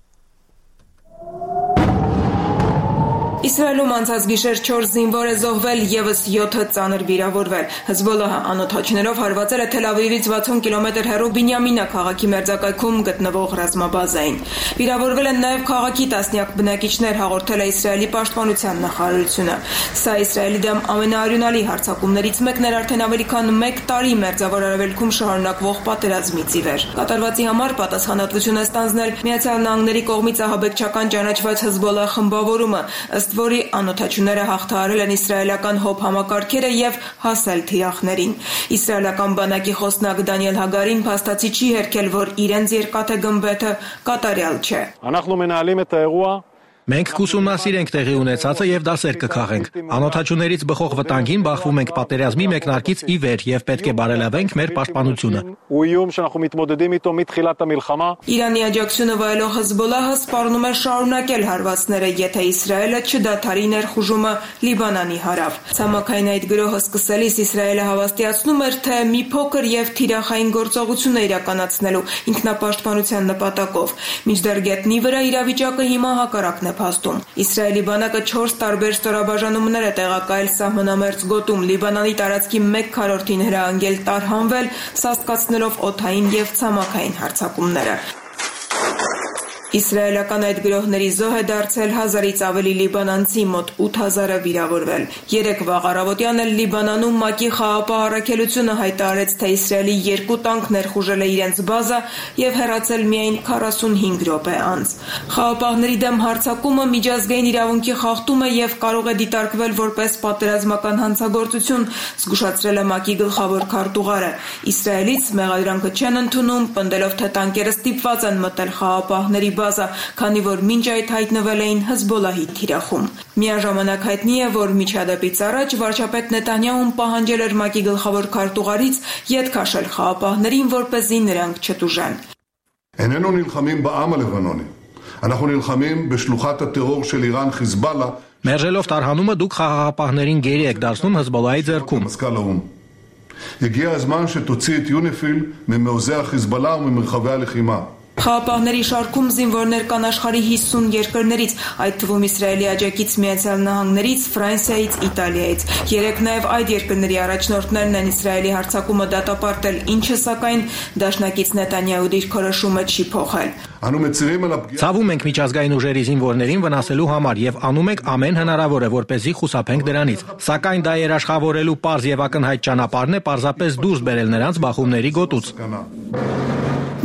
Իսրայելում անցած գիշեր 4 զինվոր է զոհվել, եւս 7-ը ծանր վիրավորվել։ Հեզբոլլահը անօդաչներով հարվածել է Թել Ավիվից 60 կիլոմետր հեռու Բինյամինա քաղաքի մերձակայքում գտնվող ռազմաբազային։ Վիրավորվել են նաեւ քաղաքի տասնյակ բնակիչներ, հաղորդել է Իսրայելի պաշտպանության նախարարությունը։ Սա Իսրայելի դեմ ամենաարյունալի հարձակումներից մեկն էր արդեն ավելի քան 1 տարի Մերձավոր Արևելքում շարունակվող պատերազմից ի վեր։ Կատարվածի համար պատասխանատվություն է ստանձնել Միացյալ Նահանգների կողմից ահաբեկչական ճանաչված Հեզբոլլահ խմբավորումը, ըստ որի անօդաչուները հաղթահարել են իսրայելական հոբ համակարգերը եւ հասել թիրախներին։ Իսրայելական բանակի խոսնակ Դանիել Հագարին փաստացի չի հերքել, որ իրենց երկաթե գմբեթը կատարյալ չէ։ Մենք կուսումնասիրենք տեղի ունեցածը եւ դասեր կքաղենք։ Անօդաչուներից բխող վտանգին բախվում ենք պատերազմի մեկնարկից ի վեր եւ պետք է բարելավենք մեր պաշտպանությունը։ Իրանի աջակցությունը վայելող Հեզբոլլահը սպառնում է շարունակել հարվածները, եթե Իսրայելը չդադարի ներխուժումը Լիբանանի հարավ։ Ցամաքային այդ գրոհը սկսելիս Իսրայելը հավաստիացնում էր, թե մի փոքր եւ թիրախային գործողություն է իրականացնելու ինքնապաշտպանության նպատակով։ Մինչդեռ գետնի վրա իրավիճակը հիմա հակառակն է փաստում։ Իսրայելի բանակը 4 տարբեր ստորաբաժանումներ է տեղակայել սահմանամերձ գոտում, Լիբանանի տարածքի 1/4-ին հրահանգել տարհանվել, սաստկացնելով օդային եւ ցամաքային հարձակումները։ Իսրայելական այդ գրոհների զոհ է դարձել 1000-ից ավելի լիբանանցի, մոտ 8000-ը վիրավորվել։ Երեկ վաղ առավոտյան էլ Լիբանանում ՄԱԿ-ի խաղաղապահ առաքելությունը հայտարարեց, թե Իսրայելի 2 տանկ ներխուժել է իրենց բազա եւ հեռացել միայն 45 րոպե անց։ Խաղաղապահների դեմ հարձակումը միջազգային իրավունքի խախտում է եւ կարող է դիտարկվել որպես պատերազմական հանցագործություն, զգուշացրել է ՄԱԿ-ի գլխավոր քարտուղարը։ Իսրայելից մեղադրանքը չեն ընդունում, պնդելով, թե տանկերը ստիպված են մտել խաղաղապահների բազա, քանի որ մինչ այդ հայտնվել էին Հեզբոլլահի թիրախում։ Միաժամանակ հայտնի է, որ միջադեպից առաջ վարչապետ Նեթանյահուն պահանջել էր ՄԱԿ-ի գլխավոր քարտուղարից ետ քաշել խաղաղապահներին, որպեսզի նրանք չտուժեն։ איננו נלחמים בעם הלבנוני. אנחנו נלחמים בשלוחת הטרור של איראן חיזבאללה. Մերժելով տարհանումը դուք խաղաղապահներին գերի եք դարձնում Հեզբոլլահի ձեռքում։ הגיע הזמן שתוציא את יוניפיל ממעוזי החיזבאללה וממרחבי הלחימה. Խաղաղապահների շարքում զինվորներ կան աշխարհի 50 երկրներից, այդ թվում Իսրայելի աջակից Միացյալ Նահանգներից, Ֆրանսիայից, Իտալիայից։ Երեք նաև այդ երկրների առաջնորդներն են Իսրայելի հարձակումը դատապարտել, ինչը սակայն դաշնակից Նեթանյահու դիրքորոշումը չի փոխել։ Ցավում ենք միջազգային ուժերի զինվորներին վնասելու համար եւ անում ենք ամեն հնարավորը, որպեսզի խուսափենք դրանից։ Սակայն դա երաշխավորելու պարզ եւ ակնհայտ ճանապարհն է պարզապես դուրս բերել նրանց բախումների գոտուց։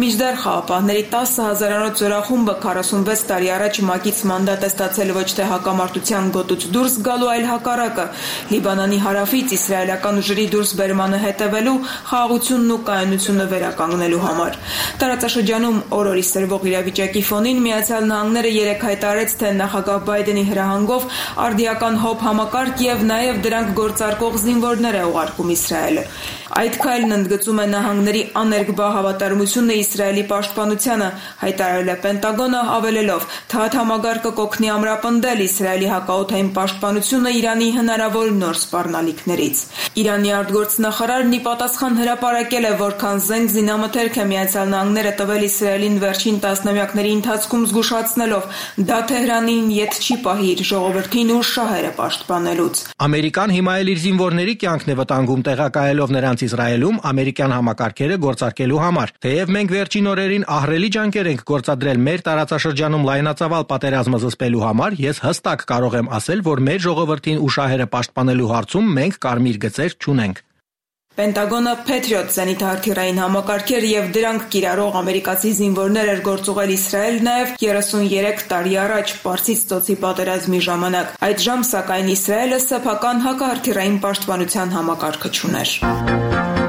Միջդեռ խաղաղապահների 10,000-անոց զորախումբը 46 տարի առաջ ՄԱԿ-ից մանդատ է ստացել ոչ թե հակամարտության գոտուց դուրս գալու, այլ հակառակը։ Լիբանանի հարավից իսրայելական ուժերի դուրս բերմանը հետևելու, խաղաղությունն ու կայունությունը վերականգնելու համար։ Տարածաշրջանում օրորի սրվող իրավիճակի ֆոնին Միացյալ Նահանգները երեկ հայտարարեց, թե նախագահ Բայդենի հրահանգով արդիական հոբ համակարգ եւ նաեւ դրանք գործարկող զինվորներ է ուղարկում Իսրայելը։ Այդ քայլն ընդգծում է նահանգների աներկբա հավատարմությունը Իսրայելի պաշտպանությանը, հայտարարել է Պենտագոնը, ավելելով, թե այդ համագարկը կօգնի ամրապնդել Իսրայելի հակաօդային պաշտպանությունը Իրանի հնարավոր նոր սպառնալիքներից։ Իրանի արտգործնախարարն ի պատասխան հրապարակել է, որքան զենք զինամթերք է Միացյալ Նահանգները տվել Իսրայելին վերջին տասնամյակների ընթացքում, զգուշացնելով, դա Թեհրանին ետ չի պահի իր ժողովրդին ու շահերը պաշտպանելուց։ Ամերիկան հիմա էլ իր զինվորների կյանքն է վտանգում, տեղակայելով նրանց Իսրայելում ամերիկյան համակարգերը գործարկելու համար։ Թեև մենք վերջին օրերին ահռելի ջանքեր ենք գործադրել մեր տարածաշրջանում լայնածավալ պատերազմը զսպելու համար, ես հստակ կարող եմ ասել, որ մեր ժողովրդին ու շահերը պաշտպանելու հարցում մենք կարմիր գծեր չունենք։ Պենտագոնը Patriot զենիթահրթիռային համակարգեր եւ դրանք կիրառող ամերիկացի զինվորներ էր գործուղել Իսրայել նաեւ 33 տարի առաջ Պարսից ծոցի պատերազմի ժամանակ։ Այդժամ սակայն Իսրայելը սեփական հակահրթիռային պաշտպանության համակարգը չուներ։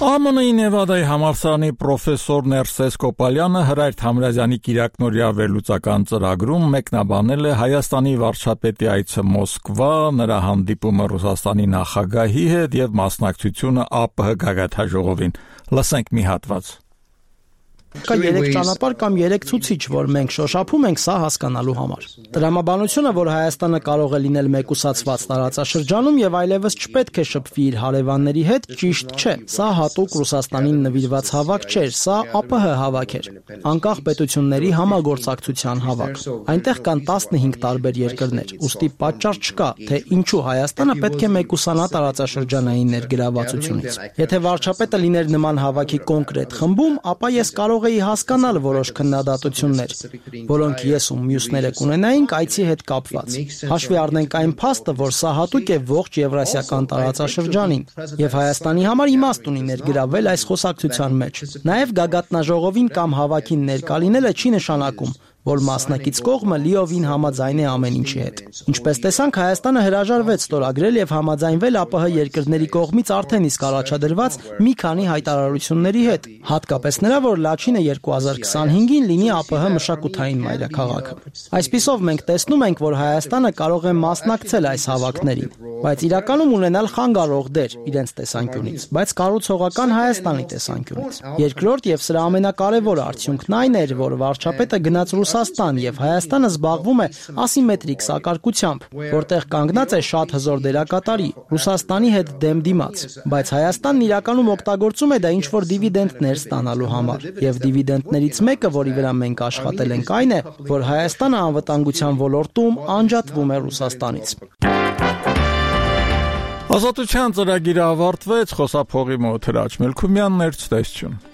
ԱՄՆ-ի Նևադայի համալսարանի պրոֆեսոր Ներսես Կոպալյանը Հրայր Թամրազյանի կիրակնօրյա վերլուծական ծրագրում մեկնաբանել է Հայաստանի վարչապետի այցը Մոսկվա, նրա հանդիպումը Ռուսաստանի նախագահի հետ եւ մասնակցությունը ԱՊՀ գագաթնաժողովին։ Լսենք մի հատված։ Կա 3 ճանապարհ կամ 3 ցուցիչ, որ մենք շոշափում ենք սա հասկանալու համար։ Տրամաբանությունը, որ Հայաստանը կարող է լինել մեկուսացված տարածաշրջանում եւ այլևս չպետք է շփվի իր հարևանների հետ, ճիշտ չէ։ Սա հատուկ Ռուսաստանին նվիրված հավաք չէր, սա ԱՊՀ հավաք էր։ Անկախ պետությունների համագործակցության հավաք։ Այնտեղ կան 15 տարբեր երկրներ, ուստի պատճառ չկա, թե ինչու Հայաստանը պետք է մեկուսանա տարածաշրջանային ներգրավվածությունից։ Եթե վարչապետը լիներ նման հավաքի կոնկրետ խմբում, ապա ես կարող էի հասկանալ որոշ քննադատություններ, որոնք ես ու մյուսները կունենայինք այցի հետ կապված։ Հաշվի առնենք այն փաստը, որ սա հատուկ է ողջ եվրասիական տարածաշրջանին, եւ Հայաստանի համար իմաստ ունի ներգրավել այս խոսակցության մեջ։ Նաեւ գագաթնաժողովին կամ հավաքին ներկա լինելը չի նշանակում, որ մասնակից կողմը լիովին համաձայն է ամեն ինչի հետ։ Ինչպես տեսանք, Հայաստանը հրաժարվեց ստորագրել եւ համաձայնվել ԱՊՀ երկրների կողմից արդեն իսկ առաջադրված մի քանի հայտարարությունների հետ, հատկապես նրա, որ Լաչինը 2025-ին լինի ԱՊՀ մշակութային մայրաքաղաքը։ Այսպիսով մենք տեսնում ենք, որ Հայաստանը կարող է մասնակցել այս հավաքներին, բայց իրականում ունենալ խանգարող դեր իրենց տեսանկյունից, բայց կառուցողական Հայաստանի տեսանկյունից։ Երկրորդ եւ սրա ամենակարևոր արդյունքն այն էր, որ վարչապետը գնաց Ռուսաստան եւ Հայաստանը զբաղվում է ասիմետրիկ սակարկությամբ, որտեղ կանգնած է շատ հզոր դերակատարի Ռուսաստանի հետ դեմ դիմաց, բայց Հայաստանն իրականում օգտագործում է դա ինչ-որ դիվիդենդներ ստանալու համար, եւ դիվիդենդներից մեկը, որի վրա մենք աշխատել ենք, այն է, որ Հայաստանը անվտանգության ոլորտում անջատվում է Ռուսաստանից։ Ազատության ծրագիրը ավարտվեց, խոսափողի մոտ Հրաչ Մելքումյանն էր, ցտեսություն։